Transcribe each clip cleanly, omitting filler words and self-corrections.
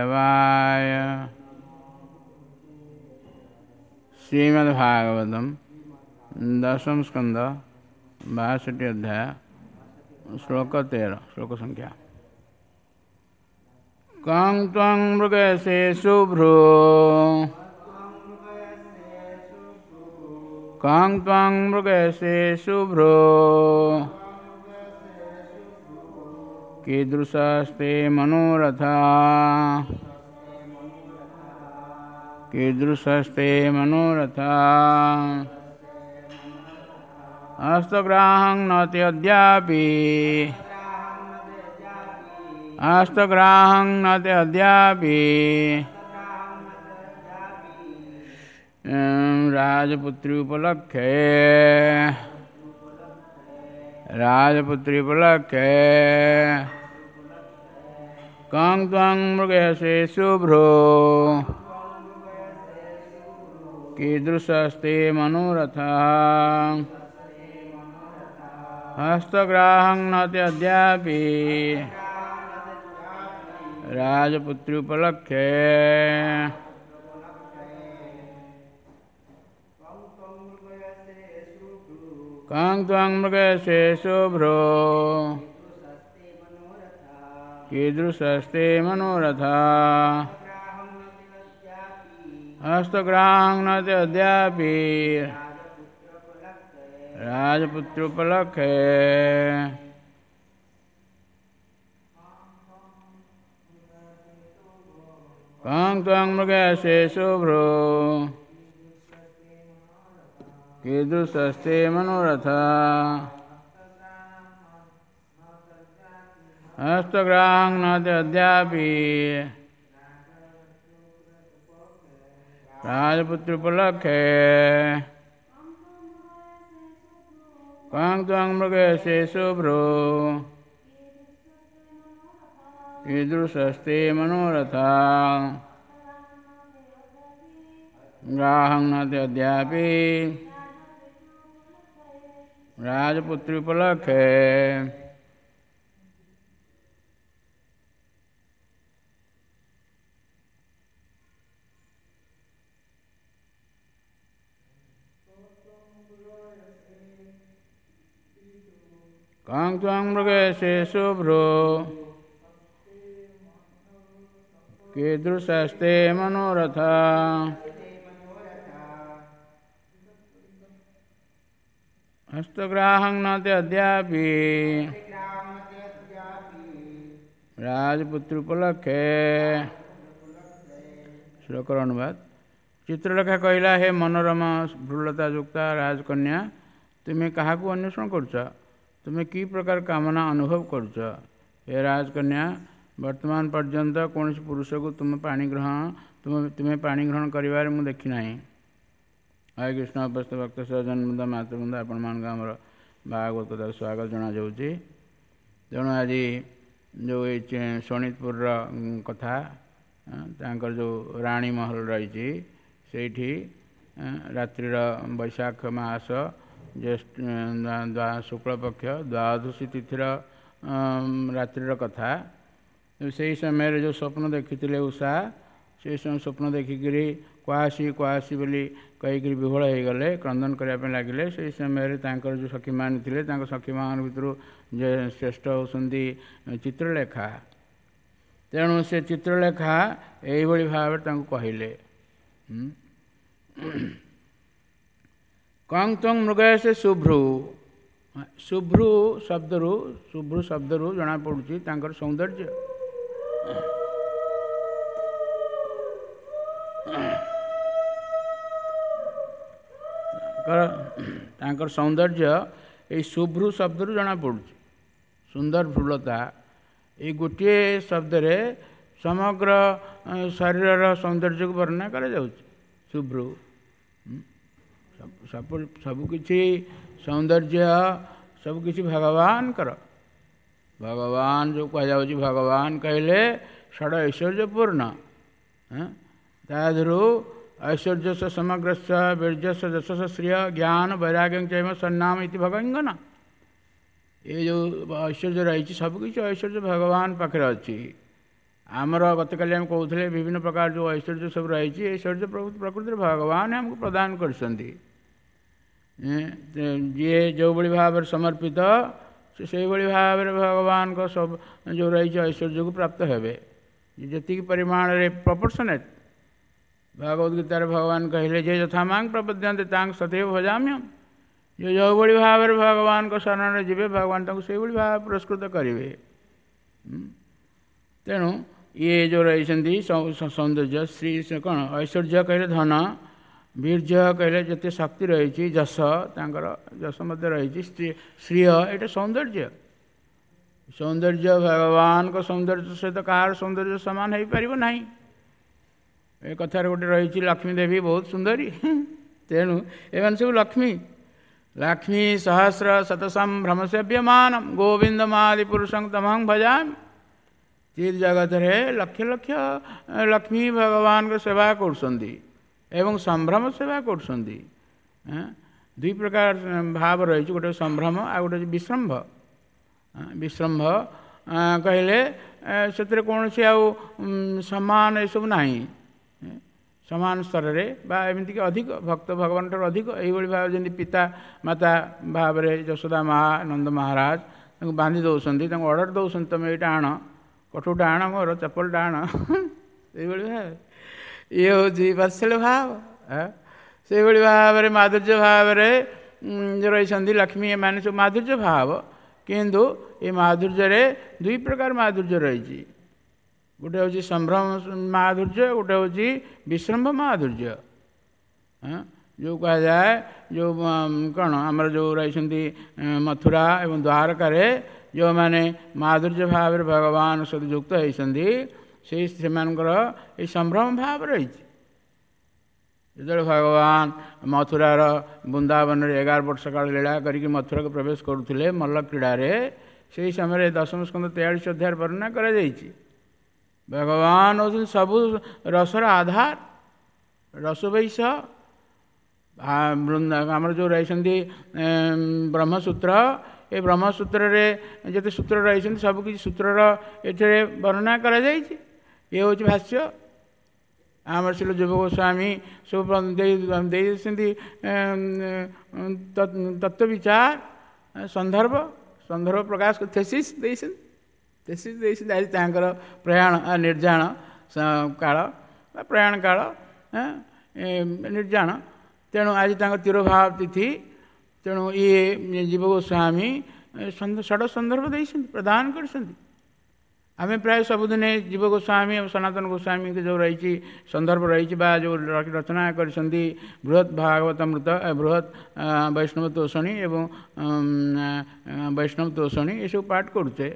माधवाय। श्रीमद्भागवतम दशम स्कंद 62 अध्याय श्लोक 13, श्लोक संख्या। कं त्वं मृगसे शुभ्रो, कं त्वं मृगसे शुभ्रो, कीदृशस्ते मनोरथा, कीदृशस्ते मनोरथा। हस्तग्राहं न ते अद्यापि, हस्तग्राहं न ते अद्यापि, राजपुत्री उपलक्षे, राजपुत्री उपलक्षे। कं त्वं मृगसे शुभ्रो, कीदृशस्ते मनोरथा, हस्तग्राहं न ते अद्यापि, राजपुत्री उपलक्षे। कं त्वं मृगसे शुभ्रो, कीदृशस्ते मनोरथा, हस्तग्राहं न ते अद्यापि, राजपुत्रोपलक्षे। कं त्वं मृगसे शुभ्रो, कीदृशस्ते मनोरथा, हस्तग्राहं न ते अद्यापि, राजपुत्रोपलक्षे। कं त्वं मृगसे शुभ्रो, कीदृशस्ते मनोरथा, ग्राहं न ते अद्यापि, राजपुत्रोपलक्षे। कं त्वं मृगसे शुभ्रो, कीदृशस्ते मनोरथा, हस्तग्राहं न ते अद्यापि, राजपुत्रोपलक्षे। श्लोकर अनुवाद। चित्रलेखा କହିଲା, ହେ ମନୋରମ ଭ୍ରୁଲତା ଯୁକ୍ତା ରାଜକନ୍ୟା, ତୁମେ କାହାକୁ ଅନ୍ୱେଷଣ କରୁଛ? ତୁମେ କି ପ୍ରକାର କାମନା ଅନୁଭବ କରୁଛ? ହେ ରାଜକନ୍ୟା, ବର୍ତ୍ତମାନ ପର୍ଯ୍ୟନ୍ତ କୌଣସି ପୁରୁଷକୁ ତୁମେ ପାଣି ଗ୍ରହଣ କରିବାରେ ମୁଁ ଦେଖିନାହିଁ। ହରେ କୃଷ୍ଣ। ଅବସ୍ଥ ଭକ୍ତ ସଜନବୃନ୍ଦ, ମାତୃବୃନ୍ଦ, ଆପଣମାନଙ୍କୁ ଆମର ଭାଗବତ କଥାକୁ ସ୍ୱାଗତ ଜଣାଯାଉଛି। ତେଣୁ ଆଜି ଯେଉଁ ଏଇ ଶୋଣିତପୁରର କଥା, ତାଙ୍କର ଯେଉଁ ରାଣୀ ମହଲ ରହିଛି, ସେଇଠି ରାତ୍ରିର ବୈଶାଖ ମାସ ଜ୍ୟେଷ୍ଠ ଶୁକ୍ଳପକ୍ଷ ଦ୍ୱାଦଶୀ ତିଥିର ରାତ୍ରିର କଥା। ସେଇ ସମୟରେ ଯେଉଁ ସ୍ୱପ୍ନ ଦେଖିଥିଲେ ଉଷା, ସେଇ ସମୟ ସ୍ୱପ୍ନ ଦେଖିକିରି କୁଆସି କୁଆସି ବୋଲି କହିକିରି ବିହ୍ୱଳ ହେଇଗଲେ, କ୍ରନ୍ଦନ କରିବା ପାଇଁ ଲାଗିଲେ। ସେଇ ସମୟରେ ତାଙ୍କର ଯେଉଁ ସଖୀମାନେ ଥିଲେ, ତାଙ୍କ ସଖୀମାନଙ୍କ ଭିତରୁ ଯେ ଶ୍ରେଷ୍ଠ ହେଉଛନ୍ତି ଚିତ୍ରଲେଖା। ତେଣୁ ସେ ଚିତ୍ରଲେଖା ଏଇଭଳି ଭାବରେ ତାଙ୍କୁ କହିଲେ, କଂ ତ୍ୱଂ ମୃଗୟସେ ଶୁଭ୍ରୁ। ଶୁଭ୍ରୁ ଶବ୍ଦରୁ, ଶୁଭ୍ରୁ ଶବ୍ଦରୁ ଜଣାପଡ଼ୁଛି ତାଙ୍କର ସୌନ୍ଦର୍ଯ୍ୟ। ତାଙ୍କର ସୌନ୍ଦର୍ଯ୍ୟ ଏଇ ଶୁଭ୍ରୁ ଶବ୍ଦରୁ ଜଣାପଡ଼ୁଛି। ସୁନ୍ଦର ଭ୍ରୁଲତା, ଏଇ ଗୋଟିଏ ଶବ୍ଦରେ ସମଗ୍ର ଶରୀରର ସୌନ୍ଦର୍ଯ୍ୟକୁ ବର୍ଣ୍ଣନା କରାଯାଉଛି। ଶୁଭ୍ରୁ ସବୁକିଛି ସୌନ୍ଦର୍ଯ୍ୟ, ସବୁକିଛି ଭଗବାନଙ୍କର। ଭଗବାନ ଯେଉଁ କୁହାଯାଉଛି, ଭଗବାନ କହିଲେ ଷଡ଼ ଐଶ୍ୱର୍ଯ୍ୟପୂର୍ଣ୍ଣ। ତା ଦେହରୁ ଐଶ୍ୱର୍ଯ୍ୟସ୍ୟ ସମଗ୍ରସ୍ୟ ବୀର୍ଯ୍ୟସ୍ୟ ଯଶସ୍ୟ ଶ୍ରିୟ ଜ୍ଞାନ ବୈରାଗ୍ୟଂ ଚୈବ ସନ୍ନାମ ଇତି ଭଗଙ୍ଗନ। ଏ ଯେଉଁ ଐଶ୍ୱର୍ଯ୍ୟ ରହିଛି, ସବୁକିଛି ଐଶ୍ୱର୍ଯ୍ୟ ଭଗବାନ ପାଖରେ ଅଛି। ଆମର ଗତକାଲି ଆମେ କହୁଥିଲେ ବିଭିନ୍ନ ପ୍ରକାର ଯେଉଁ ଐଶ୍ୱର୍ଯ୍ୟ ସବୁ ରହିଛି, ଐଶ୍ୱର୍ଯ୍ୟ ପ୍ରକୃତିରେ ଭଗବାନ ଆମକୁ ପ୍ରଦାନ କରିଛନ୍ତି। ଯିଏ ଯେଉଁଭଳି ଭାବରେ ସମର୍ପିତ ସେ ସେଇଭଳି ଭାବରେ ଭଗବାନଙ୍କ ସବୁ ଯେଉଁ ରହିଛି ଐଶ୍ୱର୍ଯ୍ୟକୁ ପ୍ରାପ୍ତ ହେବେ, ଯେତିକି ପରିମାଣରେ ପ୍ରପୋର୍ସନେଟ୍। ଭଗବଦ ଗୀତାରେ ଭଗବାନ କହିଲେ ଯେ ଯଥା ମାଂ ପ୍ରପଦ୍ୟନ୍ତେ ତାଙ୍କ ସତୈବ ଭଜାମ୍ୟହମ୍। ଯେ ଯେଉଁଭଳି ଭାବରେ ଭଗବାନଙ୍କ ଶରଣରେ ଯିବେ, ଭଗବାନ ତାଙ୍କୁ ସେଇଭଳି ଭାବେ ପୁରସ୍କୃତ କରିବେ। ତେଣୁ ଇଏ ଯେଉଁ ରହିଛନ୍ତି ସୌନ୍ଦର୍ଯ୍ୟ, ଶ୍ରୀ କ'ଣ ଐଶ୍ୱର୍ଯ୍ୟ କହିଲେ ଧନ, ବୀର୍ଯ୍ୟ କହିଲେ ଯେତେ ଶକ୍ତି ରହିଛି, ଯଶ, ତାଙ୍କର ଯଶ ମଧ୍ୟ ରହିଛି, ଶ୍ରୀୟ ଏଇଟା ସୌନ୍ଦର୍ଯ୍ୟ। ସୌନ୍ଦର୍ଯ୍ୟ ଭଗବାନଙ୍କ ସୌନ୍ଦର୍ଯ୍ୟ ସହିତ କାହାର ସୌନ୍ଦର୍ଯ୍ୟ ସମାନ ହେଇପାରିବ ନାହିଁ। ଏ କଥାରେ ଗୋଟେ ରହିଛି, ଲକ୍ଷ୍ମୀ ଦେବୀ ବହୁତ ସୁନ୍ଦରୀ, ତେଣୁ ଏମାନେ ସବୁ ଲକ୍ଷ୍ମୀ। ଲକ୍ଷ୍ମୀ ସହସ୍ର ଶତସମ୍ଭ୍ରମ ସେବ୍ୟମାନ ଗୋବିନ୍ଦମାଦି ପୁରୁଷଂ ତମହଂ ଭଜାମି। ଚିତ୍ ଜଗତରେ ଲକ୍ଷ ଲକ୍ଷ ଲକ୍ଷ୍ମୀ ଭଗବାନଙ୍କ ସେବା କରୁଛନ୍ତି ଏବଂ ସମ୍ଭ୍ରମ ସେବା କରୁଛନ୍ତି। ଦୁଇ ପ୍ରକାର ଭାବ ରହିଛି, ଗୋଟେ ସମ୍ଭ୍ରମ ଆଉ ଗୋଟେ ହେଉଛି ବିଶ୍ରମ୍ଭ। ବିଶ୍ରମ୍ଭ କହିଲେ ସେଥିରେ କୌଣସି ଆଉ ସମାନ ଏସବୁ ନାହିଁ, ସମାନ ସ୍ତରରେ ବା ଏମିତିକି ଅଧିକ ଭକ୍ତ ଭଗବାନଠାରୁ ଅଧିକ। ଏଇଭଳି ଭାବେ ଯେମିତି ପିତା ମାତା ଭାବରେ ଯଶୋଦା ମା ନନ୍ଦ ମହାରାଜ ତାଙ୍କୁ ବାନ୍ଧି ଦେଉଛନ୍ତି, ତାଙ୍କୁ ଅର୍ଡ଼ର ଦେଉଛନ୍ତି, ତୁମେ ଏଇଟା ଆଣ, କଠଉଟା ଆଣ, ମୋର ଚପଲଟା ଆଣ, ଏଇଭଳି ଭାବେ ଇଏ ହେଉଛି ବାତ୍ସଲ୍ୟ ଭାବ। ସେଇଭଳି ଭାବରେ ମାଧୁର୍ଯ୍ୟ ଭାବରେ ରହିଛନ୍ତି ଲକ୍ଷ୍ମୀ, ଏମାନେ ସବୁ ମାଧୁର୍ଯ୍ୟ ଭାବ। କିନ୍ତୁ ଏ ମାଧୁର୍ଯ୍ୟରେ ଦୁଇ ପ୍ରକାର ମାଧୁର୍ଯ୍ୟ ରହିଛି, ଗୋଟେ ହେଉଛି ସମ୍ଭ୍ରମ ମାଧୁର୍ଯ୍ୟ, ଗୋଟେ ହେଉଛି ବିଶ୍ରମ୍ଭ ମାଧୁର୍ଯ୍ୟ। ଯେଉଁ କୁହାଯାଏ ଯେଉଁ କ'ଣ ଆମର ଯେଉଁ ରହିଛନ୍ତି ମଥୁରା ଏବଂ ଦ୍ୱାରକାରେ ଯେଉଁମାନେ ମାଧୁର୍ଯ୍ୟ ଭାବରେ ଭଗବାନ ସହିତ ଯୁକ୍ତ ହେଇଛନ୍ତି, ସେଇ ସେମାନଙ୍କର ଏଇ ସମ୍ଭ୍ରମ ଭାବ ରହିଛି। ଯେତେବେଳେ ଭଗବାନ ମଥୁରାର ବୃନ୍ଦାବନରେ 11 ବର୍ଷ କାଳ ଲୀଳା କରିକି ମଥୁରାକୁ ପ୍ରବେଶ କରୁଥିଲେ ମଲ୍ଲ କ୍ରୀଡ଼ାରେ, ସେହି ସମୟରେ ଦଶମ ସ୍କନ୍ଧ 43 ଅଧ୍ୟାୟରେ ବର୍ଣ୍ଣନା କରାଯାଇଛି। ଭଗବାନ ହେଉଛନ୍ତି ସବୁ ରସର ଆଧାର, ରସବୈଶ। ଆମର ଯେଉଁ ରହିଛନ୍ତି ବ୍ରହ୍ମସୂତ୍ର, ଏ ବ୍ରହ୍ମସୂତ୍ରରେ ଯେତେ ସୂତ୍ର ରହିଛନ୍ତି ସବୁକିଛି ସୂତ୍ରର ଏଥିରେ ବର୍ଣ୍ଣନା କରାଯାଇଛି। ଇଏ ହେଉଛି ଭାଷ୍ୟ। ଆମର ଶ୍ରୀ ଯୁବ ଗୋସ୍ୱାମୀ ସବୁ ଦେଇଛନ୍ତି ତତ୍ତ୍ୱ ବିଚାର, ସନ୍ଦର୍ଭ, ସନ୍ଦର୍ଭ ପ୍ରକାଶ ଥେସିସ୍ ଦେଇଛନ୍ତି, ଥେସିସ୍ ଦେଇଛନ୍ତି। ଆଜି ତାଙ୍କର ପ୍ରୟାଣ ନିର୍ଯାଣ କାଳ ବା ପ୍ରୟାଣ କାଳ ନିର୍ଯାଣ, ତେଣୁ ଆଜି ତାଙ୍କ ତିରୋଭାବ ତିଥି। ତେଣୁ ଇଏ ଜୀବ ଗୋସ୍ୱାମୀ ଷଡ଼ ସନ୍ଦର୍ଭ ଦେଇଛନ୍ତି, ପ୍ରଦାନ କରିଛନ୍ତି। ଆମେ ପ୍ରାୟ ସବୁଦିନେ ଜୀବ ଗୋସ୍ୱାମୀ ଏବଂ ସନାତନ ଗୋସ୍ୱାମୀଙ୍କ ଯେଉଁ ରହିଛି ସନ୍ଦର୍ଭ ରହିଛି ବା ଯେଉଁ ରଚନା କରିଛନ୍ତି ବୃହତ୍ ଭାଗବତାମୃତ, ବୃହତ୍ ବୈଷ୍ଣବ ତୋଷଣୀ ଏବଂ ବୈଷ୍ଣବ ତୋଷଣୀ, ଏସବୁ ପାଠ କରୁଛେ।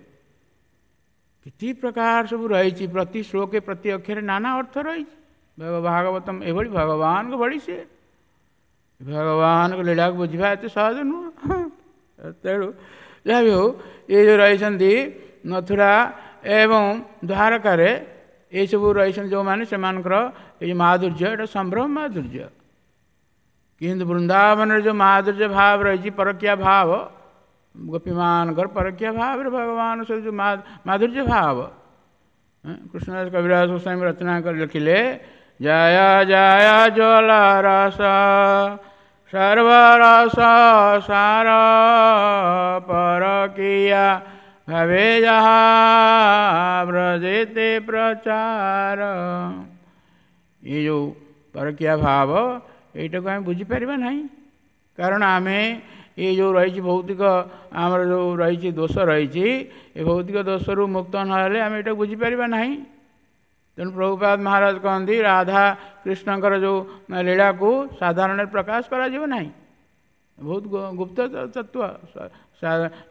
କେତେ ପ୍ରକାର ସବୁ ରହିଛି, ପ୍ରତି ଶ୍ଲୋକେ ପ୍ରତି ଅକ୍ଷରେ ନାନା ଅର୍ଥ ରହିଛି। ଭାଗବତମ ଏଭଳି ଭଗବାନଙ୍କ ଭଳି, ସିଏ ଭଗବାନଙ୍କ ଲୀଳାକୁ ବୁଝିବା ଏତେ ସହଜ ନୁହଁ। ତେଣୁ ଯାହା ବି ହଉ, ଏ ଯେଉଁ ରହିଛନ୍ତି ମଥୁରା ଏବଂ ଦ୍ୱାରକାରେ ଏସବୁ ରହିଛନ୍ତି ଯେଉଁମାନେ, ସେମାନଙ୍କର ଏଇ ମାଧୁର୍ଯ୍ୟ ଏଇଟା ସମ୍ଭ୍ରମ ମାଧୁର୍ଯ୍ୟ। କିନ୍ତୁ ବୃନ୍ଦାବନରେ ଯେଉଁ ମାଧୁର୍ଯ୍ୟ ଭାବ ରହିଛି, ପରକୀୟା ଭାବ, ଗୋପୀମାନଙ୍କର ପରକୀୟା ଭାବରେ ଭଗବାନ ସହିତ ଯେଉଁ ମାଧୁର୍ଯ୍ୟ ଭାବ, କୃଷ୍ଣଦାସ କବିରାଜ ଗୋସ୍ୱାମୀ ରଚନା କରି ଲେଖିଲେ, ଜୟ ଜୟ ଜଳ ରସ ସର୍ବରସ ସାର ପରକୀୟା ଭାବେ ଯାହା ବ୍ରଜେତେ ପ୍ରଚାର। ଏ ଯେଉଁ ପରକୀୟା ଭାବ, ଏଇଟାକୁ ଆମେ ବୁଝିପାରିବା ନାହିଁ, କାରଣ ଆମେ ଏ ଯେଉଁ ରହିଛି ଭୌତିକ ଆମର ଯେଉଁ ରହିଛି ଦୋଷ ରହିଛି, ଏ ଭୌତିକ ଦୋଷରୁ ମୁକ୍ତ ନହେଲେ ଆମେ ଏଇଟାକୁ ବୁଝିପାରିବା ନାହିଁ। ତେଣୁ ପ୍ରଭୁପାଦ ମହାରାଜ କହନ୍ତି ରାଧା କୃଷ୍ଣଙ୍କର ଯେଉଁ ଲୀଳାକୁ ସାଧାରଣରେ ପ୍ରକାଶ କରାଯିବ ନାହିଁ, ବହୁତ ଗୁପ୍ତ ତତ୍ତ୍ୱ।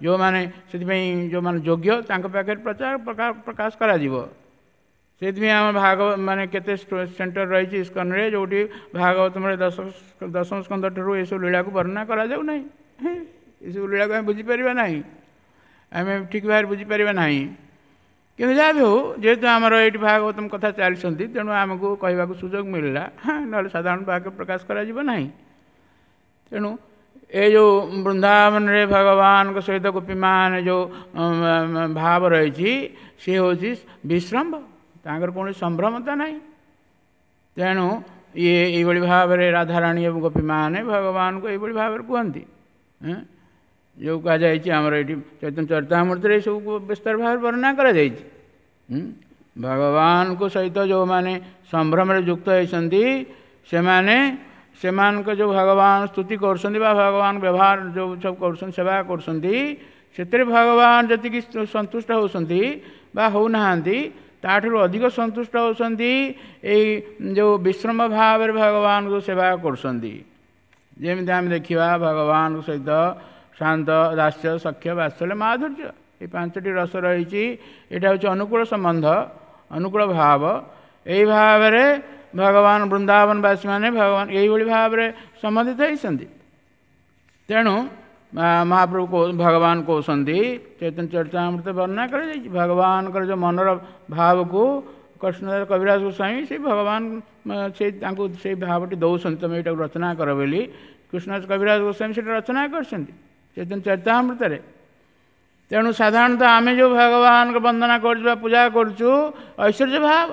ଯେଉଁମାନେ ସେଥିପାଇଁ ଯେଉଁମାନେ ଯୋଗ୍ୟ ତାଙ୍କ ପାଖରେ ପ୍ରଚାର ପ୍ରକାଶ କରାଯିବ। ସେଥିପାଇଁ ଆମ ଭାଗବତ ମାନେ କେତେ ସେଣ୍ଟର ରହିଛି ଇସ୍କନରେ, ଯେଉଁଠି ଭାଗବତମରେ ଦଶମ ସ୍କନ୍ଧ ଠାରୁ ଏସବୁ ଲୀଳାକୁ ବର୍ଣ୍ଣନା କରାଯାଉ ନାହିଁ। ଏସବୁ ଲୀଳାକୁ ଆମେ ବୁଝିପାରିବା ନାହିଁ, ଆମେ ଠିକ୍ ଭାବରେ ବୁଝିପାରିବା ନାହିଁ। କିନ୍ତୁ ଯାହା ବି ହେଉ, ଯେହେତୁ ଆମର ଏଇଠି ଭାଗବତମ କଥା ଚାଲିଛନ୍ତି, ତେଣୁ ଆମକୁ କହିବାକୁ ସୁଯୋଗ ମିଳିଲା, ନହେଲେ ସାଧାରଣ ବାକ୍ୟ ପ୍ରକାଶ କରାଯିବ ନାହିଁ। ତେଣୁ ଏ ଯେଉଁ ବୃନ୍ଦାବନରେ ଭଗବାନଙ୍କ ସହିତ ଗୋପୀମାନେ ଯେଉଁ ଭାବ ରହିଛି, ସିଏ ହେଉଛି ବିଶ୍ରମ୍ଭ ତାଙ୍କର କୌଣସି ସମ୍ଭ୍ରମତା ନାହିଁ। ତେଣୁ ଇଏ ଏଇଭଳି ଭାବରେ ରାଧାରାଣୀ ଏବଂ ଗୋପୀମାନେ ଭଗବାନଙ୍କୁ ଏଇଭଳି ଭାବରେ କୁହନ୍ତି। ଯେଉଁ କୁହାଯାଇଛି ଆମର ଏଇଠି ଚୈତନ୍ୟ ଚରିତାମୃତରେ ଏସବୁ ବିସ୍ତାର ଭାବରେ ବର୍ଣ୍ଣନା କରାଯାଇଛି। ଭଗବାନଙ୍କ ସହିତ ଯେଉଁମାନେ ସମ୍ଭ୍ରମରେ ଯୁକ୍ତ ହେଇଛନ୍ତି, ସେମାନେ ସେମାନଙ୍କ ଯେଉଁ ଭଗବାନ ସ୍ତୁତି କରୁଛନ୍ତି ବା ଭଗବାନ ବ୍ୟବହାର ଯେଉଁ ସବୁ କରୁଛନ୍ତି, ସେବା କରୁଛନ୍ତି, ସେଥିରେ ଭଗବାନ ଯେତିକି ସନ୍ତୁଷ୍ଟ ହେଉଛନ୍ତି ବା ହେଉନାହାନ୍ତି, ତାଠାରୁ ଅଧିକ ସନ୍ତୁଷ୍ଟ ହେଉଛନ୍ତି ଏଇ ଯେଉଁ ବିଶ୍ରମ ଭାବରେ ଭଗବାନଙ୍କୁ ସେବା କରୁଛନ୍ତି। ଯେମିତି ଆମେ ଦେଖିବା ଭଗବାନଙ୍କ ସହିତ ଶାନ୍ତ, ଦାସ୍ୟ, ସଖ୍ୟ, ବାତ୍ସଲ୍ୟ, ମାଧୁର୍ଯ୍ୟ, ଏଇ 5ଟି ରସ ରହିଛି। ଏଇଟା ହେଉଛି ଅନୁକୂଳ ସମ୍ବନ୍ଧ, ଅନୁକୂଳ ଭାବ। ଏଇ ଭାବରେ ଭଗବାନ ବୃନ୍ଦାବନବାସୀମାନେ ଭଗବାନ ଏଇଭଳି ଭାବରେ ସମ୍ବନ୍ଧିତ ହେଇଛନ୍ତି। ତେଣୁ ମହାପ୍ରଭୁ ଭଗବାନ କହୁଛନ୍ତି, ଚୈତନ୍ୟ ଚରିତାମୃତ ବର୍ଣ୍ଣନା କରାଯାଇଛି, ଭଗବାନଙ୍କର ଯେଉଁ ମନର ଭାବକୁ କୃଷ୍ଣଦାସ କବିରାଜ ଗୋସ୍ୱାମୀ ସେଇ ଭଗବାନ ସେଇ ତାଙ୍କୁ ସେଇ ଭାବଟି ଦେଉଛନ୍ତି, ତୁମେ ଏଇଟାକୁ ରଚନା କର ବୋଲି। କୃଷ୍ଣଦାସ କବିରାଜ ଗୋସ୍ୱାମୀ ସେଇଟା ରଚନା କରିଛନ୍ତି ଚୈତନ୍ୟ ଚରିତାମୃତରେ। ତେଣୁ ସାଧାରଣତଃ ଆମେ ଯେଉଁ ଭଗବାନଙ୍କ ବନ୍ଦନା କରୁଛୁ ବା ପୂଜା କରୁଛୁ, ଐଶ୍ୱର୍ଯ୍ୟ ଭାବ,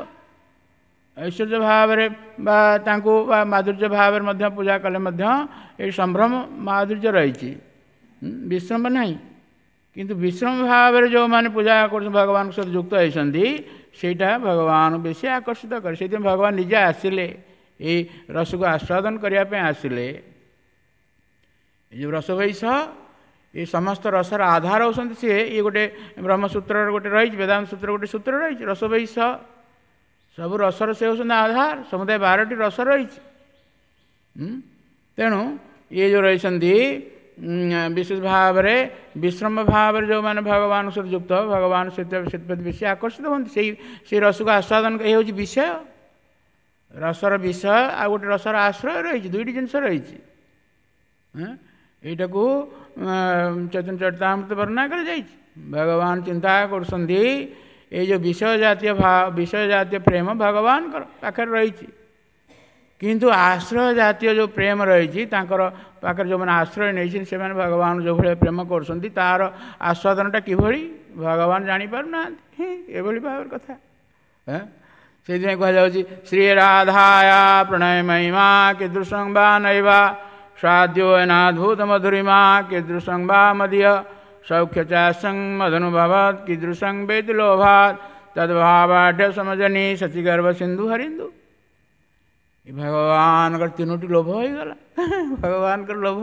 ଐଶ୍ୱର୍ଯ୍ୟ ଭାବରେ ବା ତାଙ୍କୁ ବା ମାଧୁର୍ଯ୍ୟ ଭାବରେ ମଧ୍ୟ ପୂଜା କଲେ ମଧ୍ୟ ଏଇ ସମ୍ଭ୍ରମ ମାଧୁର୍ଯ୍ୟ ରହିଛି, ବିଶ୍ରମ ନାହିଁ। କିନ୍ତୁ ବିଶ୍ରମ ଭାବରେ ଯେଉଁମାନେ ପୂଜା କରୁଛନ୍ତି, ଭଗବାନଙ୍କ ସହିତ ଯୁକ୍ତ ହେଇଛନ୍ତି, ସେଇଟା ଭଗବାନ ବେଶୀ ଆକର୍ଷିତ କରେ। ସେଇଥିପାଇଁ ଭଗବାନ ନିଜେ ଆସିଲେ, ଏଇ ରସକୁ ଆସ୍ୱାଦନ କରିବା ପାଇଁ ଆସିଲେ। ଏ ଯେଉଁ ରସବୈଷ, ଏ ସମସ୍ତ ରସର ଆଧାର ହେଉଛନ୍ତି ସିଏ। ଇଏ ଗୋଟେ ବ୍ରହ୍ମସୂତ୍ରର ଗୋଟେ ରହିଛି, ବେଦାନ୍ତ ସୂତ୍ର ଗୋଟେ ସୂତ୍ର ରହିଛି, ରସବୈଷ। ସବୁ ରସର ସେ ହେଉଛନ୍ତି ଆଧାର। ସମୁଦାୟ 12ଟି ରସ ରହିଛି। ତେଣୁ ଇଏ ଯେଉଁ ରହିଛନ୍ତି ବିଶେଷ ଭାବରେ ବିଶ୍ରମ ଭାବରେ ଯେଉଁମାନେ ଭଗବାନଙ୍କ ସହିତ ଯୁକ୍ତ, ଭଗବାନ ସେଥିପ୍ରତି ବେଶୀ ଆକର୍ଷିତ ହୁଅନ୍ତି, ସେଇ ରସକୁ ଆସ୍ୱାଦନ। ଏ ହେଉଛି ବିଷୟ, ରସର ବିଷୟ, ଆଉ ଗୋଟେ ରସର ଆଶ୍ରୟ ରହିଛି, ଦୁଇଟି ଜିନିଷ ରହିଛି। ଏଇଟାକୁ ଚୈତନ୍ୟ ଚରିତାମୃତ ବର୍ଣ୍ଣନା କରାଯାଇଛି। ଭଗବାନ ଚିନ୍ତା କରୁଛନ୍ତି, ଏଇ ଯେଉଁ ବିଷୟ ଜାତୀୟ ବିଷୟ ଜାତୀୟ ପ୍ରେମ ଭଗବାନଙ୍କର ପାଖରେ ରହିଛି, କିନ୍ତୁ ଆଶ୍ରୟ ଜାତୀୟ ଯେଉଁ ପ୍ରେମ ରହିଛି, ତାଙ୍କର ପାଖରେ ଯେଉଁମାନେ ଆଶ୍ରୟ ନେଇଛନ୍ତି, ସେମାନେ ଭଗବାନ ଯେଉଁଭଳିଆ ପ୍ରେମ କରୁଛନ୍ତି, ତାର ଆସ୍ୱାଦନଟା କିଭଳି ଭଗବାନ ଜାଣିପାରୁନାହାନ୍ତି। ଏଭଳି ଭାବରେ କଥା। ସେଇଥିପାଇଁ କୁହାଯାଉଛି, ଶ୍ରୀ ରାଧାୟା ପ୍ରଣୟ ମହିମା କୀଦୃଶଂ ବା ନୈବା ସ୍ୱାଦ୍ୟୋ ନାଦ୍ଭୁତ ମଧୁରିମା କୀଦୃଶଂ ବା ମଦୀୟ ସୌଖ୍ୟ ଚାସଂ ମଦନୁଭବତ୍ କୀଦୃଶଂ ବେତି ଲୋଭାତ୍ ତଦ୍ଭାବାଢ୍ୟ ସମଜନୀ ସଚିଗର୍ଭ ସିନ୍ଧୁ ହରିନ୍ଦୁ। ଭଗବାନଙ୍କର ତିନୋଟି ଲୋଭ ହେଇଗଲା। ଭଗବାନଙ୍କର ଲୋଭ,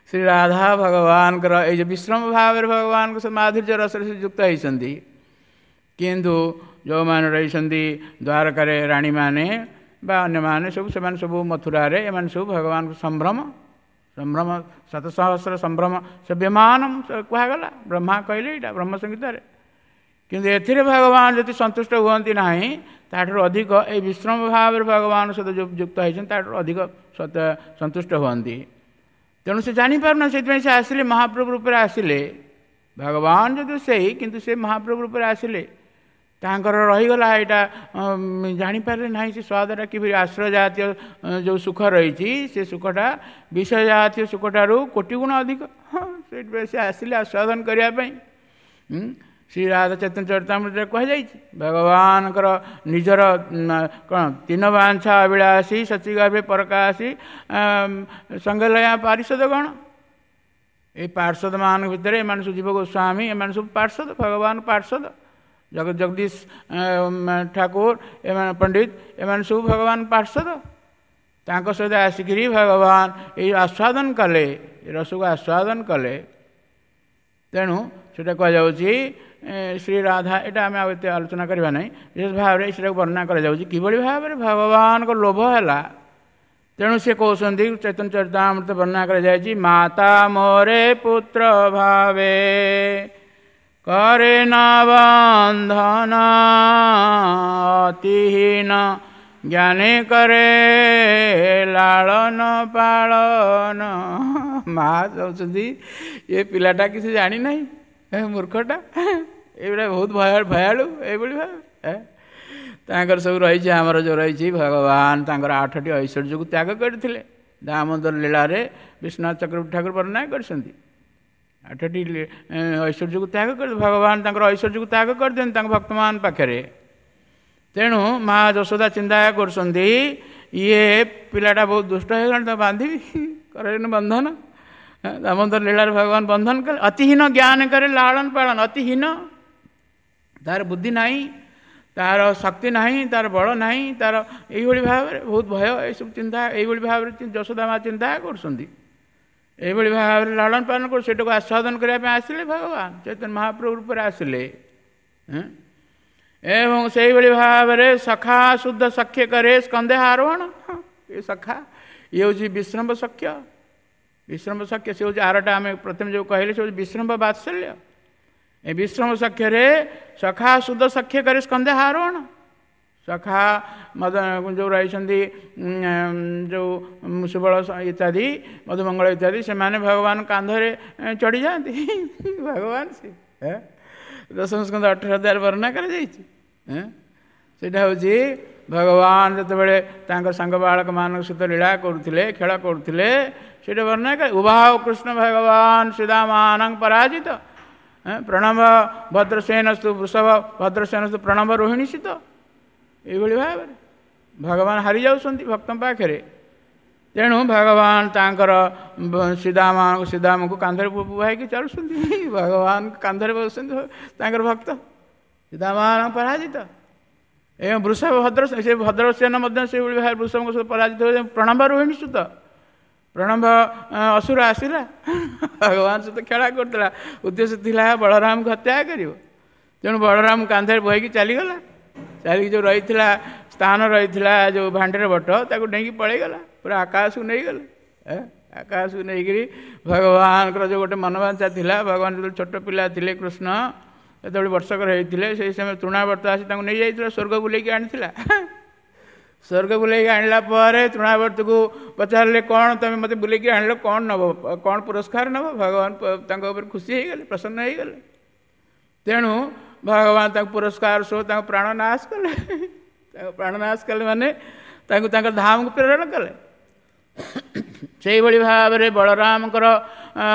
ଶ୍ରୀ ରାଧା ଭଗବାନଙ୍କର ଏଇ ଯେଉଁ ବିଶ୍ରମ ଭାବରେ ଭଗବାନଙ୍କ ସେ ମାଧୁର୍ଯ୍ୟ ରସରେ ସେ ଯୁକ୍ତ ହେଇଛନ୍ତି। କିନ୍ତୁ ଯେଉଁମାନେ ରହିଛନ୍ତି ଦ୍ୱାରକାରେ ରାଣୀମାନେ ବା ଅନ୍ୟମାନେ ସବୁ, ସେମାନେ ସବୁ ମଥୁରାରେ, ଏମାନେ ସବୁ ଭଗବାନଙ୍କ ସମ୍ଭ୍ରମ, ସମ୍ଭ୍ରମ ଶତସହସ୍ର ସମ୍ଭ୍ରମ ସେ ବିମାନ କୁହାଗଲା, ବ୍ରହ୍ମା କହିଲେ ଏଇଟା ବ୍ରହ୍ମ ସଂହିତାରେ। କିନ୍ତୁ ଏଥିରେ ଭଗବାନ ଯଦି ସନ୍ତୁଷ୍ଟ ହୁଅନ୍ତି ନାହିଁ, ତାଠାରୁ ଅଧିକ ଏଇ ବିଶ୍ରମ ଭାବରେ ଭଗବାନ ସହିତ ଯୁକ୍ତ ହେଇଛନ୍ତି, ତାଠାରୁ ଅଧିକ ସନ୍ତୁଷ୍ଟ ହୁଅନ୍ତି। ତେଣୁ ସେ ଜାଣିପାରୁନା, ସେଥିପାଇଁ ସେ ଆସିଲେ, ମହାପ୍ରଭୁ ରୂପରେ ଆସିଲେ। ଭଗବାନ ଯଦି ସେଇ, କିନ୍ତୁ ସେ ମହାପ୍ରଭୁ ରୂପରେ ଆସିଲେ, ତାଙ୍କର ରହିଗଲା ଏଇଟା ଜାଣିପାରିଲେ ନାହିଁ ସେ ସ୍ୱାଦଟା କିଭଳି। ଆଶ୍ରୟ ଜାତୀୟ ଯେଉଁ ସୁଖ ରହିଛି, ସେ ସୁଖଟା ବିଷୟ ଜାତୀୟ ସୁଖଠାରୁ କୋଟି ଗୁଣ ଅଧିକ। ହଁ, ସେଇଥିପାଇଁ ସେ ଆସିଲେ ଆସ୍ୱାଦନ କରିବା ପାଇଁ। ଶ୍ରୀ ରାଧା ଚୈତନ୍ୟ ଚରିତାମୃତରେ କୁହାଯାଇଛି, ଭଗବାନଙ୍କର ନିଜର କ'ଣ ତିନ ବାଞ୍ଛା ଅଭିଳାଷୀ ସଚିଗର୍ଭେ ପରକାଶୀ ସଙ୍ଗଲୟା ପାରିଷଦ ଗଣ। ଏଇ ପାର୍ଷଦମାନଙ୍କ ଭିତରେ ଏମାନେ ସବୁ ଜୀବ ଗୋସ୍ୱାମୀ, ଏମାନେ ସବୁ ପାର୍ଷଦ, ଭଗବାନ ପାର୍ଷଦ, ଜଗଦୀଶ ଠାକୁର, ଏମାନେ ପଣ୍ଡିତ, ଏମାନେ ସବୁ ଭଗବାନ ପାର୍ଷଦ। ତାଙ୍କ ସହିତ ଆସିକିରି ଭଗବାନ ଏଇ ଆସ୍ୱାଦନ କଲେ, ରସକୁ ଆସ୍ୱାଦନ କଲେ। ତେଣୁ ସେଇଟା କୁହାଯାଉଛି ଶ୍ରୀ ରାଧା, ଏଇଟା ଆମେ ଆଉ ଏତେ ଆଲୋଚନା କରିବା ନାହିଁ। ବିଶେଷ ଭାବରେ ସେଇଟାକୁ ବର୍ଣ୍ଣନା କରାଯାଉଛି କିଭଳି ଭାବରେ ଭଗବାନଙ୍କ ଲୋଭ ହେଲା। ତେଣୁ ସେ କହୁଛନ୍ତି, ଚୈତନ୍ୟ ଚରିତାମୃତ ବର୍ଣ୍ଣନା କରାଯାଇଛି, ମାତା ମୋରେ ପୁତ୍ର ଭାବେ କରେ ନା ବନ୍ଧନ, ଅତିହୀନ ଜ୍ଞାନେ କରେ ଲାଳନ ପାଳନ। ମା ଚାହୁଁଛନ୍ତି ଏ ପିଲାଟା କିଛି ଜାଣିନାହିଁ, ମୂର୍ଖଟା, ଏଇଗୁଡ଼ା ବହୁତ ଭୟାଳୁ, ଏଇଭଳି ଭାବେ ତାଙ୍କର ସବୁ ରହିଛି। ଆମର ଯେଉଁ ରହିଛି ଭଗବାନ ତାଙ୍କର 8ଟି ଐଶ୍ୱର୍ଯ୍ୟକୁ ତ୍ୟାଗ କରିଥିଲେ। ଦାମୋଦର ଲୀଳାରେ ବିଶ୍ୱନାଥ ଚକ୍ରବର୍ତ୍ତୀ ଠାକୁର ବର୍ଣ୍ଣନା କରିଛନ୍ତି। 8ଟି ଐଶ୍ୱର୍ଯ୍ୟକୁ ତ୍ୟାଗ କରି ଭଗବାନ ତାଙ୍କର ଐଶ୍ୱର୍ଯ୍ୟକୁ ତ୍ୟାଗ କରିଦିଅନ୍ତି ତାଙ୍କ ଭକ୍ତମାନଙ୍କ ପାଖରେ। ତେଣୁ ମା ଯଶୋଦା ଚିନ୍ତା କରୁଛନ୍ତି, ଇଏ ପିଲାଟା ବହୁତ ଦୁଷ୍ଟ ହେଇଗଲାଣି, ତାକୁ ବାନ୍ଧିବି କରେନି ବନ୍ଧନ। ଦାମୋଦର ଲୀଳାରେ ଭଗବାନ ବନ୍ଧନ କଲେ। ଅତିହୀନ ଜ୍ଞାନ କରେ ଲାଳନ ପାଳନ। ଅତିହୀନ, ତାର ବୁଦ୍ଧି ନାହିଁ, ତାର ଶକ୍ତି ନାହିଁ, ତାର ବଳ ନାହିଁ, ତାର ଏଇଭଳି ଭାବରେ ବହୁତ ଭୟ, ଏସବୁ ଚିନ୍ତା ଏଇଭଳି ଭାବରେ ଯଶୋଦା ମା ଚିନ୍ତା କରୁଛନ୍ତି। ଏଇଭଳି ଭାବରେ ଲାଳନ ପାଳନ କରୁ, ସେଇଟାକୁ ଆସ୍ୱାଦନ କରିବା ପାଇଁ ଆସିଲେ ଭଗବାନ ଚୈତନ୍ୟ ମହାପ୍ରଭୁ ରୂପରେ ଆସିଲେ। ଏବଂ ସେଇଭଳି ଭାବରେ ସଖା ଶୁଦ୍ଧ ସଖ୍ୟ କରେ ସ୍କନ୍ଧେ ଆରୋହଣ। ଏ ସଖା, ଇଏ ହେଉଛି ବିଶ୍ରମ୍ଭ ସଖ୍ୟ। ବିଶ୍ରମ୍ଭ ସଖ୍ୟ ସେ ହେଉଛି ଆରଟା ଆମେ ପ୍ରଥମେ ଯେଉଁ କହିଲେ, ସେ ହେଉଛି ବିଶ୍ରମ୍ଭ ବାତ୍ସଲ୍ୟ। ଏ ବିଶ୍ରମ ସଖ୍ୟରେ ସଖା ଶୁଦ୍ଧ ସଖ୍ୟ କରେ ସ୍କନ୍ଧେ ଆରୋହଣ। ସଖା ମଦ ଯେଉଁ ରହିଛନ୍ତି, ଯେଉଁ ସୁବଳ ଇତ୍ୟାଦି, ମଧୁମଙ୍ଗଳ ଇତ୍ୟାଦି, ସେମାନେ ଭଗବାନ କାନ୍ଧରେ ଚଢ଼ିଯାଆନ୍ତି। ଭଗବାନ ସେ ଦଶମ ସ୍କନ୍ଧ 18 ଅଧ୍ୟାୟରେ ବର୍ଣ୍ଣନା କରାଯାଇଛି। ସେଇଟା ହେଉଛି ଭଗବାନ ଯେତେବେଳେ ତାଙ୍କ ସାଙ୍ଗ ବାଳକମାନଙ୍କ ସହିତ ଲୀଳା କରୁଥିଲେ, ଖେଳ କରୁଥିଲେ, ସେଇଟା ବର୍ଣ୍ଣନା କରେ। ଉଭାବ କୃଷ୍ଣ ଭଗବାନ ଶ୍ରୀଦାମାନଙ୍କ ପରାଜିତ ପ୍ରଣବ ଭଦ୍ରସେନସ୍ତୁ ବୃଷଭ ଭଦ୍ରସେନସ୍ତୁ ପ୍ରଣବ ରୋହିଣୀ ସୀତ। ଏଇଭଳି ଭାବରେ ଭଗବାନ ହାରି ଯାଉଛନ୍ତି ଭକ୍ତଙ୍କ ପାଖରେ। ତେଣୁ ଭଗବାନ ତାଙ୍କର ଶ୍ରୀଦାମଙ୍କୁ କାନ୍ଧରେ ବୁହାଇକି ଚାଲୁଛନ୍ତି। ଭଗବାନ କାନ୍ଧରେ ବସୁଛନ୍ତି ତାଙ୍କର ଭକ୍ତ ଶ୍ରୀଦାମ ପରାଜିତ। ଏବଂ ବୃଷଭ ଭଦ୍ର, ସେ ଭଦ୍ରସେନ ମଧ୍ୟ ସେଇଭଳି ଭାବରେ ବୃଷଭଙ୍କ ସହିତ ପରାଜିତ ହୋଇ ପ୍ରଣବ ରୋହିଣୀ ସୁତ। ପ୍ରଣବ ଅସୁର ଆସିଲା, ଭଗବାନ ସହିତ ଖେଳା କରୁଥିଲା, ଉଦ୍ଦେଶ୍ୟ ଥିଲା ବଳରାମକୁ ହତ୍ୟା କରିବ। ତେଣୁ ବଳରାମ କାନ୍ଧରେ ବୋହିକି ଚାଲିଗଲା। ଚାଲିକି ଯେଉଁ ରହିଥିଲା ସ୍ଥାନ ରହିଥିଲା ଯେଉଁ ଭାଣ୍ଡେର ବଟ, ତାକୁ ଡେଇଁକି ପଳେଇଗଲା, ପୁରା ଆକାଶକୁ ନେଇଗଲେ। ଆକାଶକୁ ନେଇକରି ଭଗବାନଙ୍କର ଯେଉଁ ଗୋଟେ ମନବାଞ୍ଛା ଥିଲା, ଭଗବାନ ଯେତେବେଳେ ଛୋଟ ପିଲା ଥିଲେ କୃଷ୍ଣ ଯେତେବେଳେ ବର୍ଷକର ହେଇଥିଲେ, ସେଇ ସମୟ ତୃଣାବର୍ତ୍ତ ଆସି ତାଙ୍କୁ ନେଇଯାଇଥିଲା, ସ୍ୱର୍ଗ ବୁଲେଇକି ଆଣିଥିଲା। ସ୍ୱର୍ଗ ବୁଲେଇକି ଆଣିଲା ପରେ ତୃଣାବର୍ତ୍ତକୁ ପଚାରିଲେ, କ'ଣ ତୁମେ ମୋତେ ବୁଲେଇକି ଆଣିଲ, କ'ଣ ନେବ, କ'ଣ ପୁରସ୍କାର ନେବ? ଭଗବାନ ତାଙ୍କ ଉପରେ ଖୁସି ହେଇଗଲେ, ପ୍ରସନ୍ନ ହେଇଗଲେ। ତେଣୁ ଭଗବାନ ତାଙ୍କୁ ପୁରସ୍କାର ସହ ତାଙ୍କ ପ୍ରାଣ ନାଶ କଲେ। ତାଙ୍କ ପ୍ରାଣ ନାଶ କଲେ ମାନେ ତାଙ୍କୁ ତାଙ୍କ ଧାମକୁ ପ୍ରେରଣ କଲେ। ସେଇଭଳି ଭାବରେ ବଳରାମଙ୍କର